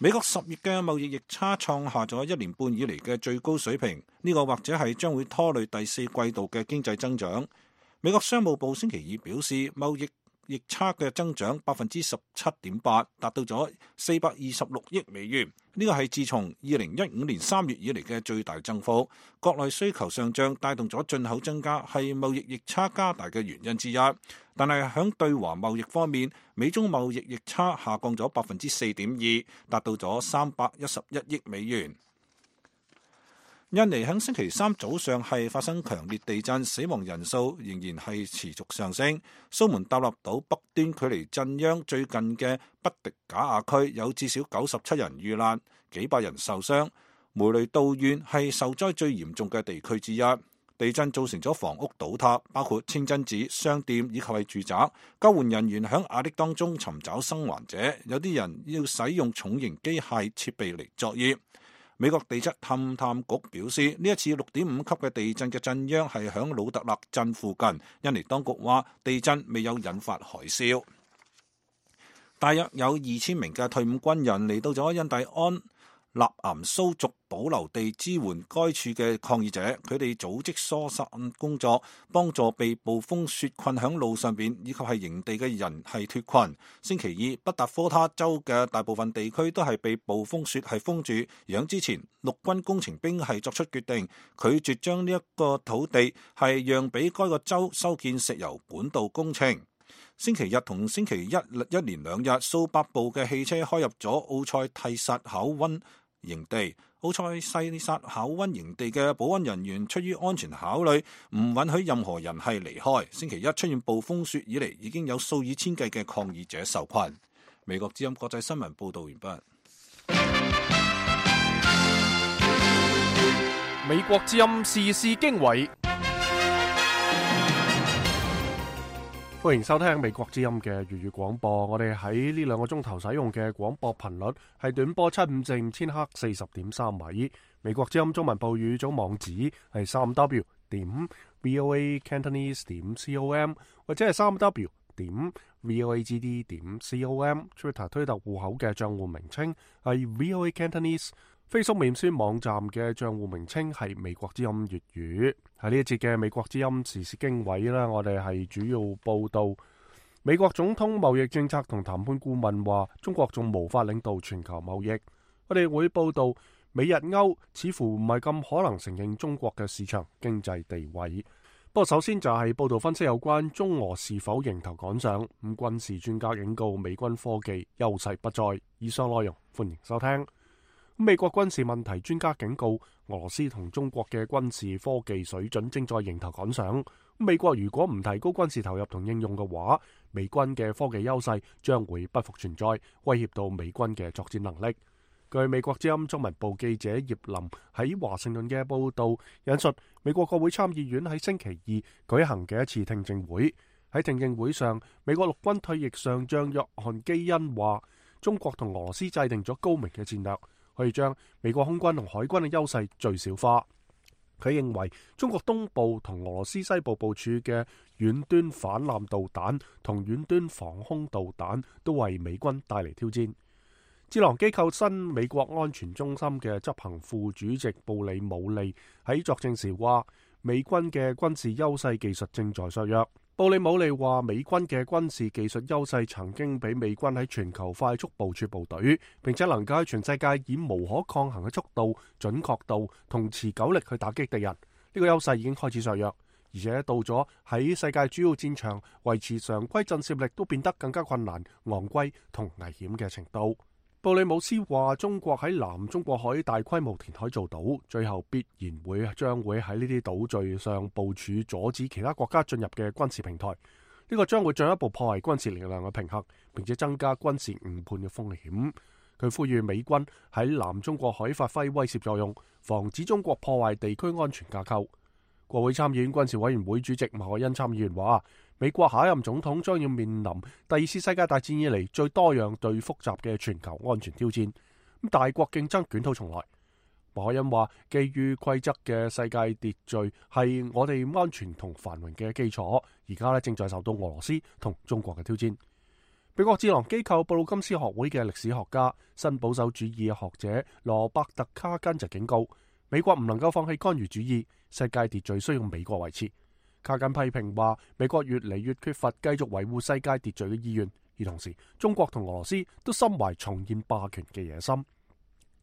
美國十月嘅貿易逆差創下咗一年半以嚟嘅最高水平，呢個或者係將會拖累第四季度嘅經濟增長。美國商務部星期二表示，貿易逆差嘅增長百分之十七點八，達到咗四百二十六億美元。呢個係自從二零一五年三月以嚟嘅最大增幅。國內需求上漲帶動咗進口增加，係貿易逆差加大嘅原因之一。但係喺對華貿易方面，美中貿易逆差下降咗百分之四點二，達到咗三百一十一億美元。印尼喺星期三早上係發生強烈地震，死亡人數仍然係持續上升。蘇門答臘島北端距離震央最近嘅北迪賈亞區有至少九十七人遇難，幾百人受傷。梅雷道縣係受災最嚴重嘅地區之一。地震造成咗房屋倒塌，包括清真寺、商店以及係住宅。救援人員喺壓力當中尋找生還者，有啲人要使用重型機械設備嚟作業。美國地質勘探局表示，呢一次六點五級嘅地震嘅震央係響魯特勒鎮附近。印尼當局話地震未有引發海嘯。大約有二千名嘅退伍軍人嚟到咗印第安納岩蘇族保留地支援該處嘅抗議者，佢哋組織疏散工作，幫助被暴風雪困響路上邊以及係營地嘅人係脫困。星期二，北達科他州嘅大部分地區都係被暴風雪係封住，而喺之前，陸軍工程兵係作出決定，拒絕將呢一個土地係讓俾該個州修建石油管道工程。星期日同星期一一連兩日，數百部嘅汽車開入咗奧塞蒂薩考溫營地。奧塞西薩考溫營地嘅保安人員出於安全考慮，唔允許任何人係離開。星期一出現暴風雪以嚟，已經有數以千計嘅抗議者受困。美國之音國際新聞報道完畢。美國之音時事經緯。歡迎收聽美國之音嘅粵語廣播。我哋喺呢兩個鐘頭使用嘅廣播頻率係短波七五四五千赫四十點三米。美國之音中文部語組網址係三 w 點 voa cantonese 點 com 或者係三 w 點 voagd 點 com。Twitter 推特戶口嘅賬戶名稱係 voa cantonese。Facebook 面書網站嘅賬戶名稱係美國之音粵語。喺呢一節嘅美國之音時事經緯啦，我哋係主要報道美國總統貿易政策同談判顧問話中國仲無法領導全球貿易。我哋會報道美日歐似乎唔係咁可能承認中國嘅市場經濟地位。不過首先就係報道分析有關中俄是否迎頭趕上。咁軍事專家警告美軍科技優勢不再。以上內容歡迎收聽。美國軍事問題專家警告，俄羅斯同中國嘅軍事科技水準正在迎頭趕上。美國如果唔提高軍事投入同應用嘅話，美軍嘅科技優勢將會不復存在，威脅到美軍嘅作戰能力。據美國之音中文部記者葉林喺華盛頓嘅報道引述，美國國會參議院喺星期二舉行嘅一次聽證會。喺聽證會上，美國陸軍退役上將約翰基恩話，中國同俄羅斯制定咗高明嘅戰略，可以將美國空軍同海軍嘅優勢最小化。佢認為中國東部同俄羅斯西部部署嘅遠端反艦導彈同遠端防空導彈都為美軍帶嚟挑戰。智囊機構新美國安全中心嘅執行副主席布里姆利喺作證時話，美軍嘅軍事優勢技術正在削弱。布里姆利話，美軍嘅軍事技術優勢曾經俾美軍喺全球快速部署部隊，並且能夠喺全世界以無可抗衡嘅速度、準確度同持久力去打擊敵人。呢、這個優勢已經開始削弱，而且到咗喺世界主要戰場維持常規震懾力都變得更加困難、昂貴同危險嘅程度。布里姆斯話，中國喺南中國海大規模填海造島，最後必然會將會喺呢啲島嶼上部署阻止其他國家進入嘅軍事平台。呢、這個將會進一步破壞軍事力量嘅平衡，並且增加軍事誤判嘅風險。佢呼籲美軍喺南中國海發揮威懾作用，防止中國破壞地區安全架構。國會參議院軍事委員會主席馬凱恩參議員話，美國下一任總統將要面臨第二次世界大戰以嚟最多樣對複雜嘅全球安全挑戰。咁大國競爭捲土重來。馬凱恩話，基於規則嘅世界秩序係我哋安全同繁榮嘅基礎，而家咧正在受到俄羅斯同中國嘅挑戰。美國智囊機構布魯金斯學會嘅歷史學家、新保守主義學者羅伯特卡根就警告，美國唔能夠放棄干預主義，世界秩序需要美國維持。卡根批評話，美國越嚟越缺乏繼續維護世界秩序嘅意願，而同時中國同俄羅斯都心懷重現霸權嘅野心。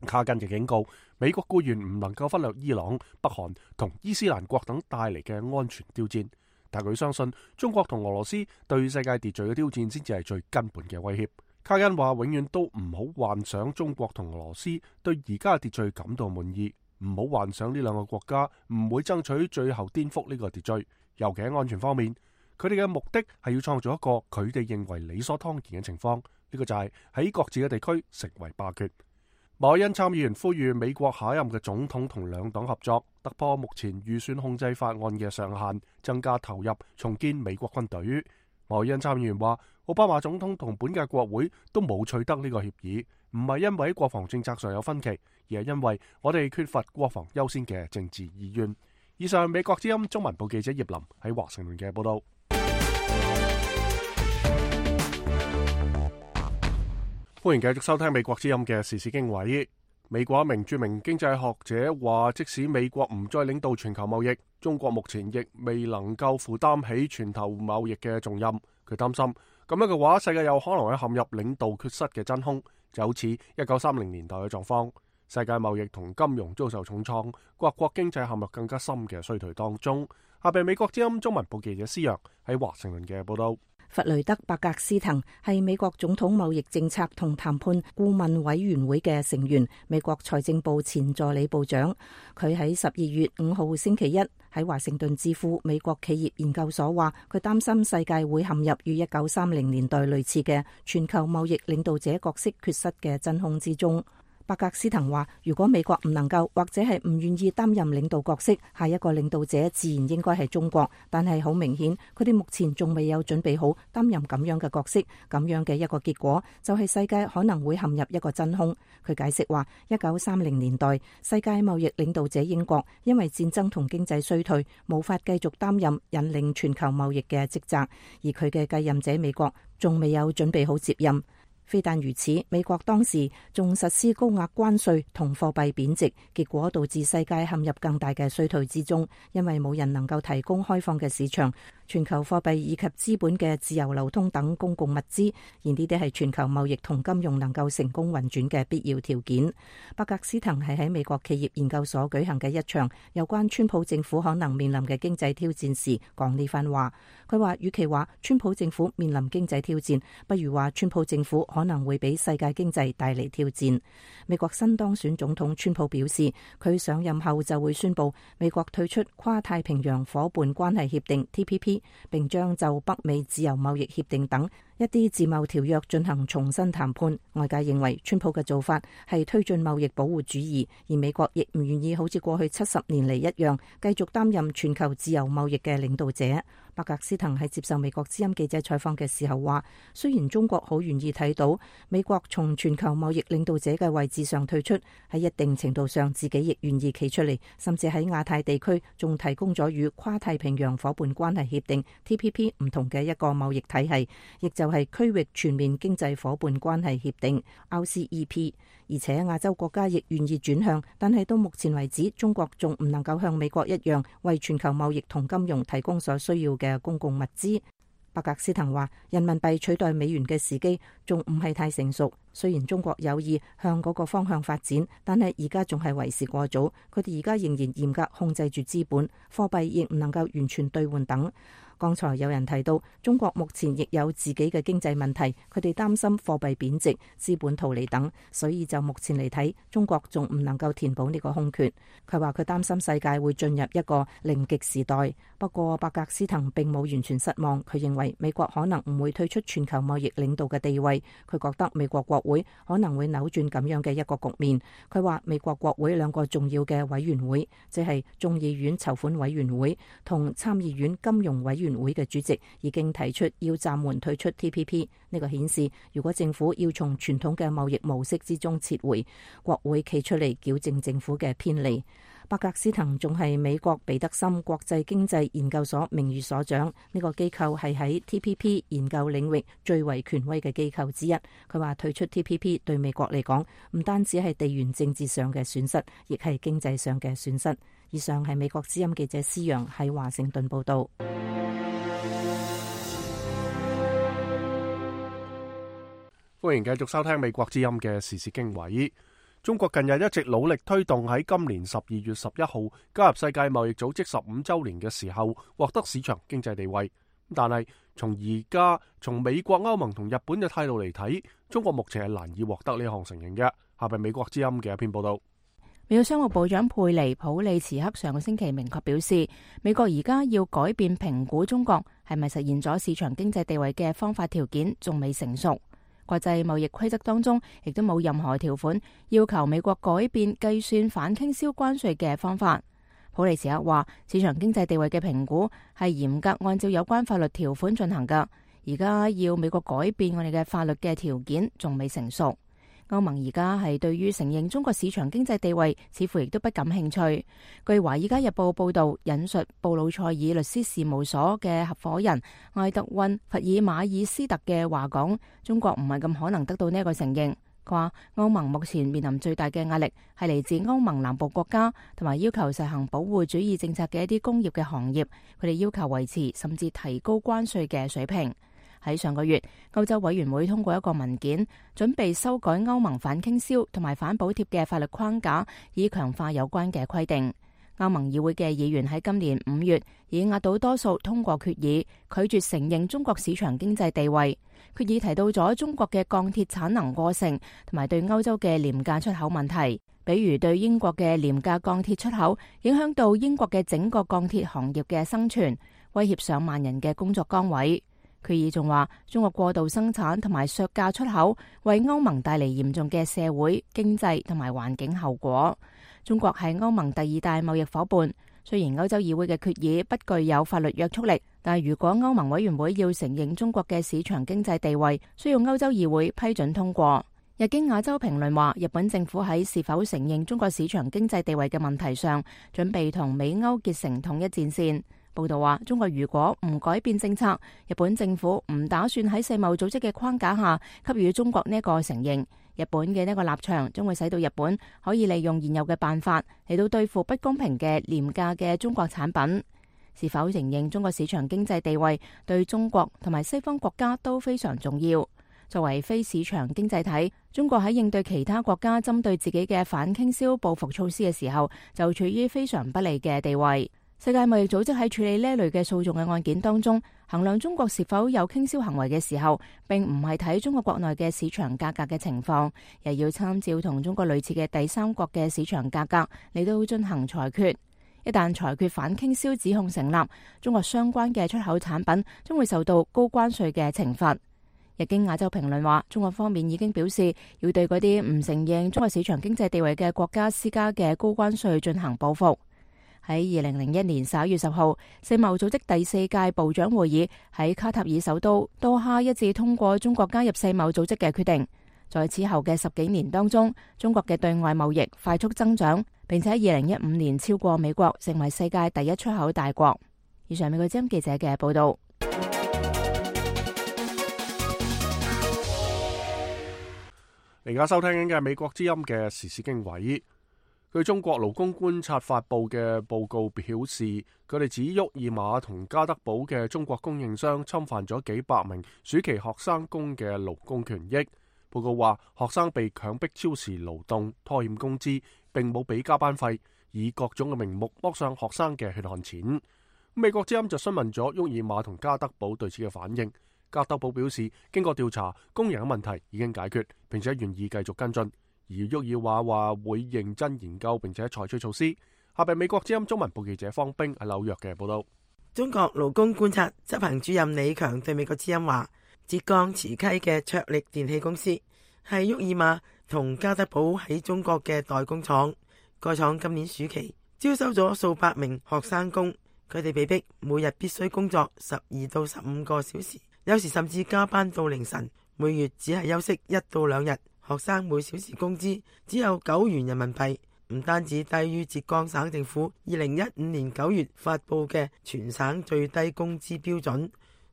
卡根就警告，美國固然唔能夠忽略伊朗、北韓同伊斯蘭國等帶嚟嘅安全挑戰，但佢相信中國同俄羅斯對世界秩序嘅挑戰先至係最根本嘅威脅。卡根話，永遠都唔好幻想中國同俄羅斯對而家嘅秩序感到滿意，唔好幻想呢兩個國家唔會爭取最後顛覆呢個秩序。尤其喺安全方面，佢哋嘅目的係要創造一個佢哋認為理所當然嘅情況，呢、這個就係喺各自嘅地區成為霸權。馬凱恩參議員呼籲美國下一任嘅總統同兩黨合作，突破目前預算控制法案嘅上限，增加投入，重建美國軍隊。馬凱恩參議員話，奧巴馬總統同本屆國會都冇取得呢個協議，唔係因為國防政策上有分歧，而係因為我哋缺乏國防優先嘅政治意願。以上美國之音中文部記者葉林喺華盛頓嘅報道。歡迎繼續收聽美國之音嘅時事經緯。美國一名著名經濟學者話，即使美國唔再領導全球貿易，中國目前亦未能夠負擔起全球貿易嘅重任。佢擔心咁樣嘅話，世界有可能會陷入領導缺失嘅真空，就好似一九三零年代嘅狀況。世界貿易同金融遭受重創，各國經濟陷入更加深嘅衰退當中。下邊美國之音中文部記者施揚喺華盛頓嘅報道。弗雷德·伯格斯滕係美國總統貿易政策同談判顧問委員會嘅成員，美國財政部前助理部長。佢喺十二月五號星期一喺華盛頓智庫美國企業研究所話，佢擔心世界會陷入與一九三零年代類似嘅全球貿易領導者角色缺失嘅真空之中。伯格斯滕話，如果美國唔能夠或者係唔願意擔任領導角色，下一個領導者自然應該係中國。但係好明顯，佢哋目前仲未有準備好擔任咁樣嘅角色。咁樣嘅一個結果就係世界可能會陷入一個真空。佢解釋話，一九三零年代世界貿易領導者英國因為戰爭同經濟衰退，無法繼續擔任引領全球貿易嘅職責，而佢嘅繼任者美國仲未有準備好接任。非但如此，美國當時仲實施高額關稅同貨幣貶值，結果導致世界陷入更大嘅衰退之中，因為冇人能夠提供開放嘅市場、全球貨幣以及資本嘅自由流通等公共物資，而呢啲係全球貿易同金融能夠成功運轉嘅必要條件。伯格斯滕係喺美國企業研究所舉行嘅一場有關川普政府可能面臨嘅經濟挑戰時講呢番話。佢話，與其話川普政府面臨經濟挑戰，不如話川普政府可能會俾世界經濟帶嚟挑戰。美國新當選總統川普表示，佢上任後就會宣布美國退出跨太平洋夥伴關係協定 T P P， 並將就北美自由貿易協定等一啲自貿條約進行重新談判。外界認為川普嘅做法係推進貿易保護主義，而美國亦唔願意好似過去七十年嚟一樣繼續擔任全球自由貿易嘅領導者。伯格斯滕喺接受美國之音記者採訪嘅時候話，雖然中國好願意睇到美國從全球貿易領導者嘅位置上退出，喺一定程度上自己亦願意企出嚟，甚至喺亞太地區仲提供咗與跨太平洋夥伴關係協定 T P P 唔同嘅一個貿易體系，亦就係區域全面經濟夥伴關係協定 R C E P。 而且亞洲國家亦願意轉向，但係到目前為止，中國仲唔能夠向美國一樣為全球貿易同金融提供所需要嘅公共物資。伯格斯滕話，人民幣取代美元嘅時機仲唔係太成熟，雖然中國有意向嗰個方向發展，但係而家仲係為時過早。佢哋而家仍然嚴格控制住資本，貨幣亦唔能夠完全兌換等。剛才有人提到，中國目前亦有自己嘅經濟問題，佢哋擔心貨幣貶值、資本逃離等，所以就目前嚟睇，中國仲唔能夠填補呢個空缺。佢話佢擔心世界會進入一個零極時代。不過伯格斯滕並冇完全失望，佢認為美國可能唔會退出全球貿易領導嘅地位。佢覺得美國國會可能會扭轉咁樣嘅一個局面。佢話美國國會兩個重要嘅委員會，即係眾議院籌款委員會同參議院金融委員會嘅主席已經提出要暫緩退出 T P P。 呢個顯示，如果政府要從傳統嘅貿易模式之中撤回，國會企出嚟矯正政府嘅偏離。伯格斯滕仲係美國彼得森國際經濟研究所名譽所長，呢個機構係喺 T P P 研究領域最為權威嘅機構之一。佢話退出 T P P 對美國嚟講唔單止係地緣政治上嘅損失，亦係經濟上嘅損失。以上係美國之音記者施揚喺華盛頓報道。歡迎繼續收聽美國之音嘅時事經緯。中國近日一直努力推動喺今年十二月十一號加入世界貿易組織十五週年嘅時候獲得市場經濟地位。但係從而家從美國、歐盟同日本嘅態度嚟睇，中國目前係難以獲得呢項承認嘅。下邊美國之音嘅一篇報道。美國商務部長佩尼普利茨克上個星期明確表示，美國而家要改變評估中國係咪實現咗市場經濟地位嘅方法條件仲未成熟。國際貿易規則當中亦都冇任何條款要求美國改變計算反傾銷關稅嘅方法。普利茨克話，市場經濟地位嘅評估係嚴格按照有關法律條款進行㗎，而家要美國改變我哋嘅法律嘅條件仲未成熟。歐盟而家係對於承認中國市場經濟地位似乎亦都不感興趣。據《華爾街日報》報導，引述布魯塞爾律師事務所嘅合夥人埃德溫·弗爾馬爾斯特嘅話講，中國唔係咁可能得到呢一個承認。佢話歐盟目前面臨最大嘅壓力係嚟自歐盟南部國家同埋要求實行保護主義政策嘅一啲工業嘅行業，佢哋要求維持甚至提高關稅嘅水平。喺上個月，歐洲委員會通過一個文件，準備修改歐盟反傾銷同埋反補貼嘅法律框架，以強化有關嘅規定。歐盟議會嘅議員喺今年五月以壓倒多數通過決議，拒絕承認中國市場經濟地位。決議提到咗中國嘅鋼鐵產能過剩，同埋對歐洲嘅廉價出口問題，比如對英國嘅廉價鋼鐵出口，影響到英國嘅整個鋼鐵行業嘅生存，威脅上萬人嘅工作崗位。決議仲話，中國過度生產同埋削價出口，為歐盟帶嚟嚴重嘅社會、經濟同埋環境後果。中國係歐盟第二大貿易夥伴，雖然歐洲議會嘅決議不具有法律約束力，但係如果歐盟委員會要承認中國嘅市場經濟地位，需要歐洲議會批准通過。日經亞洲評論話，日本政府喺是否承認中國市場經濟地位嘅問題上，準備同美歐結成統一戰線。報道話，中國如果唔改變政策，日本政府唔打算喺世貿組織嘅框架下給予中國呢一個承認。日本嘅呢個立場將會使到日本可以利用現有嘅辦法嚟到對付不公平嘅廉價嘅中國產品。是否承認中國市場經濟地位，對中國同埋西方國家都非常重要。作為非市場經濟體，中國喺應對其他國家針對自己嘅反傾銷報復措施嘅時候，就處於非常不利嘅地位。世界貿易組織喺處理呢類嘅訴訟嘅案件當中，衡量中國是否有傾銷行為嘅時候，並唔係睇中國國內嘅市場價格嘅情況，而要參照同中國類似嘅第三國嘅市場價格嚟到進行裁決。一旦裁決反傾銷指控成立，中國相關嘅出口產品將會受到高關稅嘅懲罰。日經亞洲評論話，中國方面已經表示要對嗰啲唔承認中國市場經濟地位嘅國家施加嘅高關稅進行報復。喺二零零一年十一月十號，世貿組織第四屆部長會議喺卡塔爾首都多哈一致通過中國加入世貿組織嘅決定。在此後嘅十幾年當中，中國嘅對外貿易快速增長，並且喺二零一五年超過美國，成為世界第一出口大國。以上美國之音記者嘅報道。而家收聽緊嘅係美國之音嘅時事經緯。據中國勞工觀察發布嘅報告表示，佢哋指沃爾瑪同加德堡嘅中國供應商侵犯咗幾百名暑期學生工嘅勞工權益。報告話，學生被強迫超時勞動、拖欠工資，並冇俾加班費，以各種嘅名目剝上學生嘅血汗錢。美國之音就詢問咗沃爾瑪同加德堡對此嘅反應。加德堡表示，經過調查，工人嘅問題已經解決，並且願意繼續跟進。而沃爾瑪話會認真研究並且採取措施。下邊美國之音中文部記者方冰喺紐約嘅報道。中國勞工觀察執行主任李強對美國之音話，浙江慈溪嘅卓力電器公司係沃爾瑪同加德堡喺中國嘅代工廠。該廠今年暑期招收咗數百名學生工，佢哋被逼每日必須工作十二到十五個小時，有時甚至加班到凌晨，每月只係休息一到兩日。學生每小時工資只有九元人民幣，唔單止低於浙江省政府二零一五年九月發布嘅全省最低工資標準，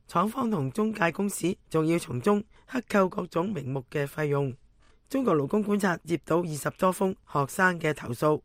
廠方同中介公司仲要從中克扣各種名目嘅費用。中國勞工觀察接到二十多封學生嘅投訴，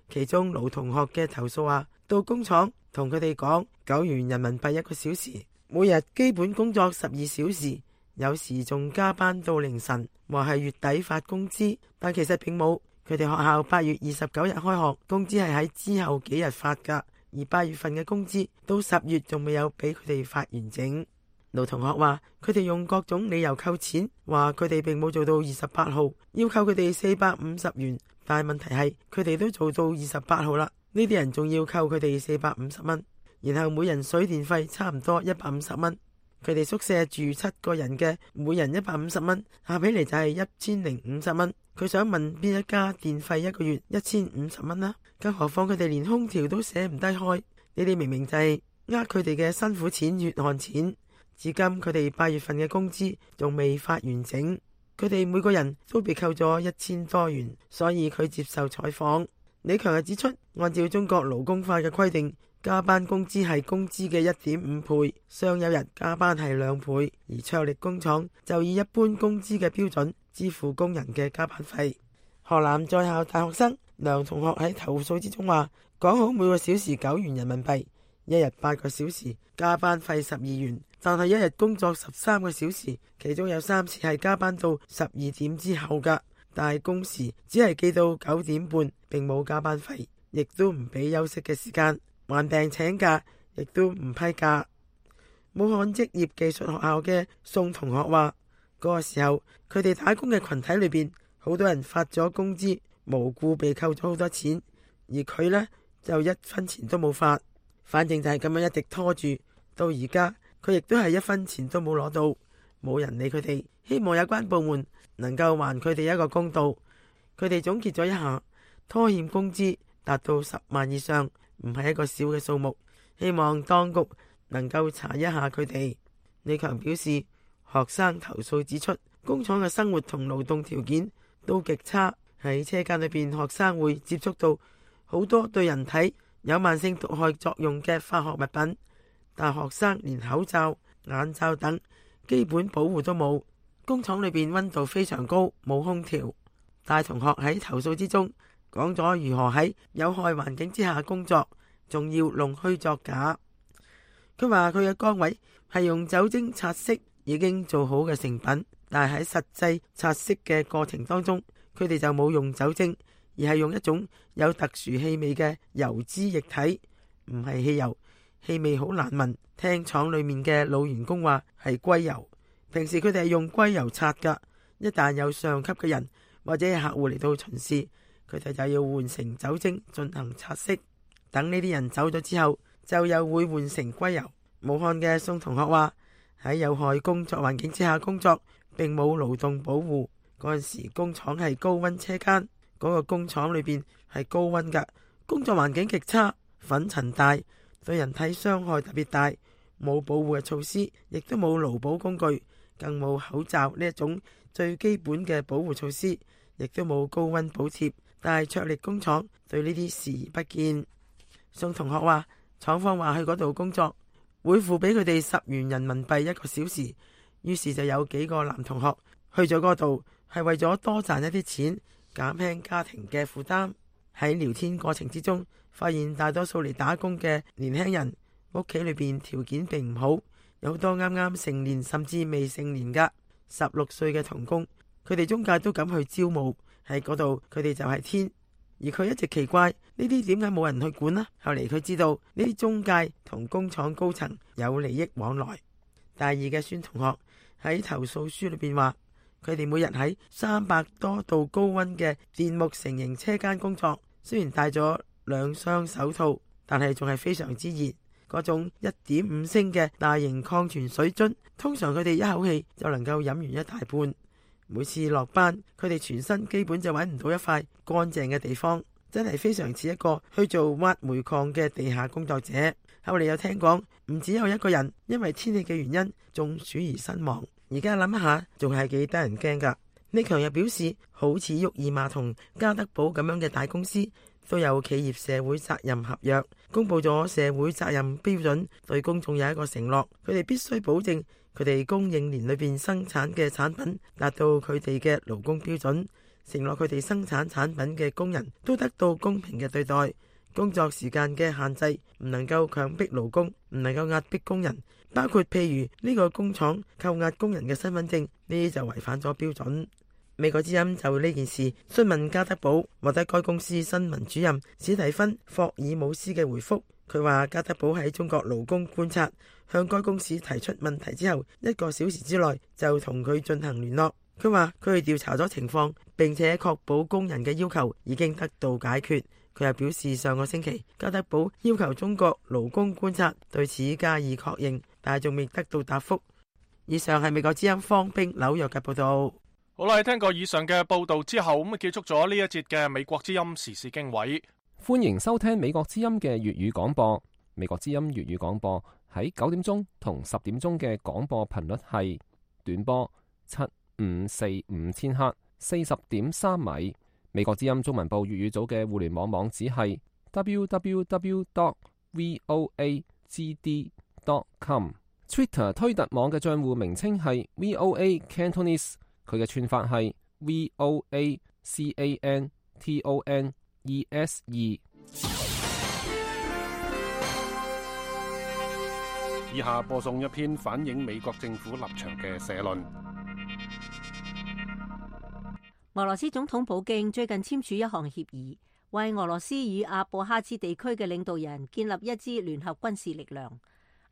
其中盧同學嘅投訴話，到工廠同佢哋講九元人民幣一個小時，每日基本工作十二小時，有時仲加班到凌晨，話係月底發工資，但其實並冇。佢哋學校八月二十九日開學，工資係喺之後幾日發噶，而八月份嘅工資到十月仲未有俾佢哋發完整。盧同學話佢哋用各種理由扣錢，話佢哋並冇做到二十八號，要扣佢哋四百五十元，但係問題係佢哋都做到二十八號啦，呢啲人仲要扣佢哋四百五十蚊，然後每人水電費差唔多一百五十蚊。佢哋宿舍住七個人嘅，每人一百五十蚊，下起嚟就係一千零五十蚊。佢想問邊一家電費一個月一千五十蚊啦？更何況佢哋連空調都捨唔低開，你哋明明就係呃佢哋嘅辛苦錢、血汗錢。至今佢哋八月份嘅工資仲未發完整，佢哋每個人都被扣咗一千多元，所以佢接受採訪。李強又指出，按照中國勞工法嘅規定，加班工資係工資嘅一點五倍，雙休日加班係兩倍，而卓力工廠就以一般工資嘅標準支付工人嘅加班費。河南在校大學生梁同學喺投訴之中話，講好每個小時九元人民幣，一日八個小時，加班費十二元，但係一日工作十三個小時，其中有三次係加班到十二點之後㗎，但係工時只係記到九點半，並冇加班費，亦都唔俾休息嘅時間，患病請假亦都唔批假。武漢職業技術學校嘅宋同學話，嗰個時候佢哋打工嘅群體裏邊，好多人發咗工資，無故被扣咗好多錢，而佢呢，就一分錢都冇發，反正就係咁樣一直拖住，到而家佢亦都係一分錢都冇攞到，冇人理佢哋。希望有關部門能夠還佢哋一個公道。佢哋總結咗一下，拖欠工資達到十萬以上，唔係一個小嘅數目，希望當局能夠查一下佢哋。李強表示，學生投訴指出，工廠嘅生活同勞動條件都極差，喺車間裏邊，學生會接觸到好多對人體有慢性毒害作用嘅化學物品，但學生連口罩、眼罩等基本保護都冇。工廠裏邊溫度非常高，冇空調。大同學喺投訴之中講咗如何喺有害環境之下工作，仲要弄虛作假。佢話佢嘅崗位係用酒精擦拭已經做好嘅成品，但係喺實際擦拭嘅過程當中，佢哋就冇用酒精，而係用一種有特殊氣味嘅油脂液體，唔係汽油，氣味好難聞。聽廠裏面嘅老員工話係硅油，平時佢哋係用硅油擦噶，一旦有上級嘅人或者係客戶嚟到巡視，佢哋就要換成酒精進行擦拭。等呢啲人走咗之後，就又會換成硅油。武漢嘅宋同學話，喺有害工作環境之下工作，並冇勞動保護。嗰陣時工廠係高溫車間，嗰個工廠裏邊係高溫噶，工作環境極差，粉塵大，對人體傷害特別大，冇保護嘅措施，亦都冇勞保工具，更冇口罩呢一種最基本嘅保護措施，亦都冇高溫補貼。但係卓力工廠對呢啲視而不見。宋同學話，廠方話去嗰度工作會付俾佢哋十元人民幣一個小時，於是就有幾個男同學去咗嗰度，係為咗多賺一啲錢，減輕家庭嘅負擔。喺聊天過程之中，發現大多數嚟打工嘅年輕人屋企裏邊條件並唔好，有好多啱啱成年甚至未成年噶十六歲嘅童工，佢哋中介都敢去招募，喺嗰度佢哋就係天。而佢一直奇怪呢啲點解冇人去管呢？後嚟佢知道呢啲中介同工廠高層有利益往來。大二嘅孫同學喺投訴書裏邊話，佢哋每日喺三百多度高溫嘅電木成型車間工作，雖然戴咗兩雙手套，但係仲係非常之熱。嗰種一點五升嘅大型礦泉水樽，通常佢哋一口氣就能夠飲完一大半。每次落班，佢哋全身基本就揾唔到一塊乾淨嘅地方，真係非常似一個去做挖煤礦嘅地下工作者。後嚟又聽講，唔只有一個人因為天氣嘅原因中暑而身亡。而家諗一下，仲係幾得人驚噶。李強又表示，好似沃爾瑪同加德寶咁樣嘅大公司，都有企業社會責任合約，公布咗社會責任標準，對公眾有一個承諾，佢哋必須保證佢哋供應鏈裏邊生產嘅產品達到佢哋嘅勞工標準，承諾佢哋生產產品嘅工人都得到公平嘅對待，工作時間嘅限制唔能夠強迫勞工，唔能夠壓迫工人，包括譬如呢個工廠扣押工人嘅身份證，呢啲就違反咗標準。美國之音就呢件事詢問加德寶，獲得該公司新聞主任史蒂芬霍爾姆斯嘅回覆。佢話加德寶喺中國勞工觀察向該公司提出問題之後，一個小時之內就同佢進行聯絡。佢話佢哋調查咗情況，並且確保工人嘅要求已經得到解決。佢又表示，上個星期加德寶要求中國勞工觀察對此加以確認，但係仲未得到答覆。以上係美國之音方冰紐約嘅報道。好啦，聽過以上嘅報道之後，咁啊結束咗呢一節嘅美國之音時事經緯。歡迎收聽美國之音嘅粵語廣播。美國之音粵語廣播喺九點鐘同十點鐘嘅廣播頻率係短波七五四五千赫，四十點三米。美國之音中文部粵語組嘅互聯網網址係 double-u double-u double-u dot voa g d dot com。Twitter 推特網嘅賬戶名稱係 V O A Cantonese， 佢嘅串法係 V O A C A N T O N E S E。 以下播送一篇反映美國政府立場嘅社論。俄羅斯總統普京最近簽署一項協議，為俄羅斯與阿布哈茲地區嘅領導人建立一支聯合軍事力量。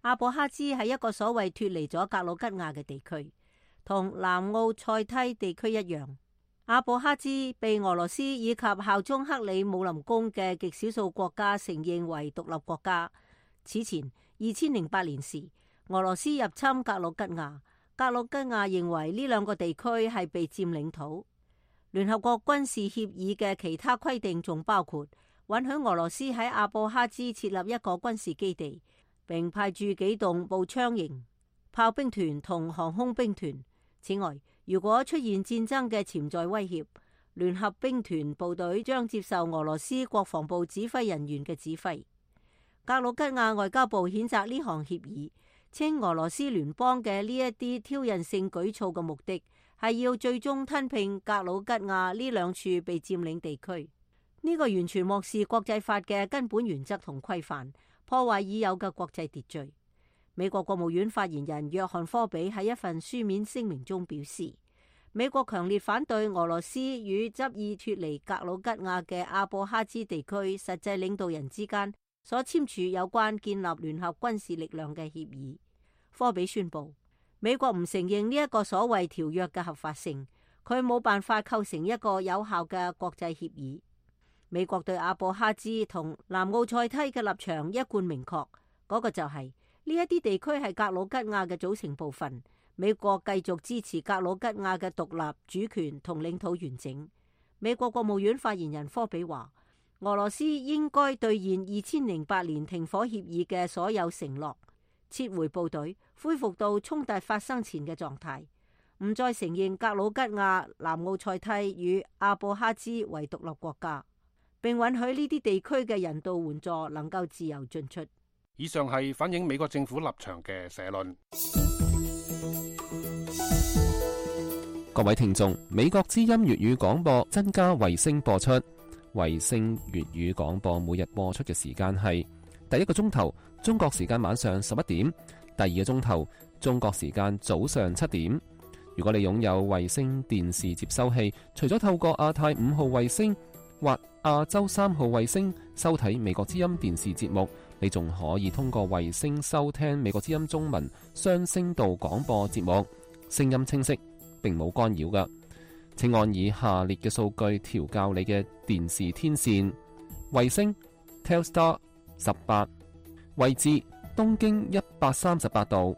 阿布哈茲係一個所謂脫離咗格魯吉亞嘅地區，同南奧塞梯地區一樣。阿布哈茲被俄羅斯以及效忠克里姆林宮嘅極少數國家承認為獨立國家。此前二千零八年時，俄羅斯入侵格魯吉亞，格魯吉亞認為呢兩個地區係被佔領土。聯合國軍事協議嘅其他規定仲包括允許俄羅斯喺阿布哈茲設立一個軍事基地，並派駐幾棟步槍型炮兵團同航空兵團。此外，如果出現戰爭嘅潛在威脅，聯合兵團部隊將接受俄羅斯國防部指揮人員嘅指揮。格魯吉亞外交部譴責呢項協議，稱俄羅斯聯邦嘅呢一啲挑釁性舉措嘅目的係要最終吞併格魯吉亞呢兩處被佔領地區。呢個完全漠視國際法嘅根本原則同規範，破壞已有嘅國際秩序。美國國務院發言人約翰科比喺一份書面聲明中表示，美國強烈反對俄羅斯與執意脫離格魯吉亞嘅阿布哈茲地區實際領導人之間所簽署有關建立聯合軍事力量嘅協議。科比宣布，美國唔承認呢一個所謂條約嘅合法性，佢冇辦法構成一個有效嘅國際協議。美國對阿布哈茲同南奧塞梯嘅立場一貫明確，嗰、那個就係呢一啲地區係格魯吉亞嘅組成部分。美國繼續支持格魯吉亞嘅獨立主權同領土完整。美國國務院發言人科比話，俄羅斯應該兌現二千零八年停火協議嘅所有承諾，撤回部隊，恢復到衝突發生前嘅狀態，唔再承認格魯吉亞、南奧塞梯與阿布哈茲為獨立國家，並允許呢啲地區嘅人道援助能夠自由進出。以上係反映美國政府立場嘅社論。各位聽眾，美國之音粵語廣播增加衛星播出。衛星粵語廣播每日播出嘅時間係第一個鐘頭中國時間晚上十一點，第二個鐘頭中國時間早上七點。如果你擁有衛星電視接收器，除咗透過亞太五號衛星或亞洲三號衛星收睇美國之音電視節目，你仲可以通過衛星收聽美國之音中文雙聲道廣播節目，聲音清晰，並冇干擾㗎。請按以下列嘅數據調校你嘅電視天線：衛星 Telstar 十八，位置東經一百三十八度，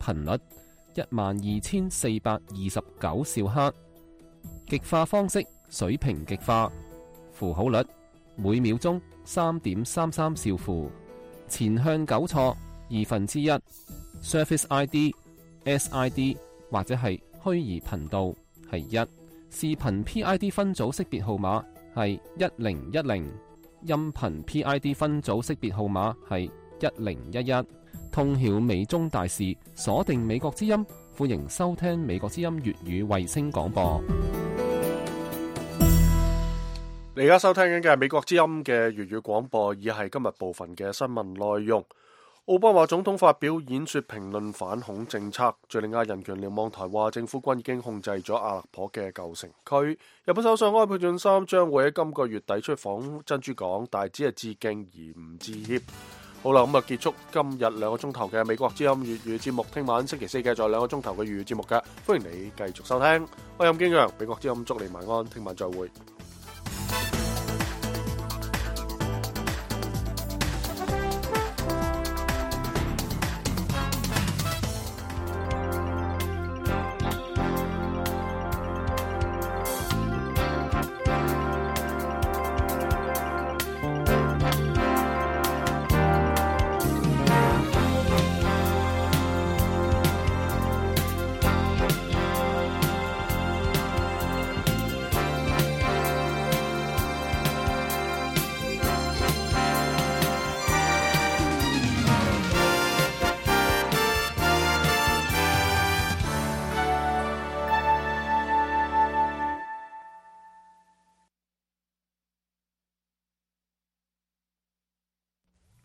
頻率一萬二千四百二十九兆赫，極化方式水平極化，符號率每秒鐘三點三三兆符，前向糾錯二分之一 ，Surface I D、S I D 或者係虛擬頻道係一。視頻 P I D 分組識別號碼係一零一零，音頻 P I D 分組識別號碼係一零一一。通曉美中大事，鎖定美國之音，歡迎收聽美國之音粵語衛星廣播。你而家收聽緊嘅係美國之音嘅粵語廣播，以係今日部分嘅新聞內容。奧巴馬總統發表演說評論反恐政策。敘利亞人權瞭望台話，政府軍已經控制咗阿勒頗嘅舊城區。日本首相安倍晉三將會喺今個月底出訪珍珠港，但係只係致敬而唔致歉。好啦，咁啊結束今日兩個鐘頭嘅美國之音粵語節目。聽晚星期四繼續兩個鐘頭嘅粵語節目嘅，歡迎你繼續收聽。我係任敬揚，美國之音祝你晚安，聽晚再會。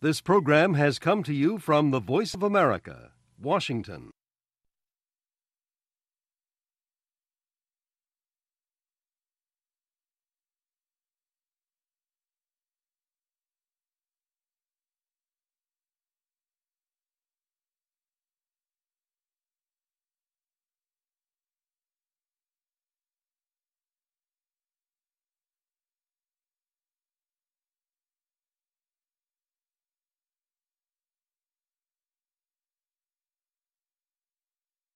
This program has come to you from the Voice of America, Washington.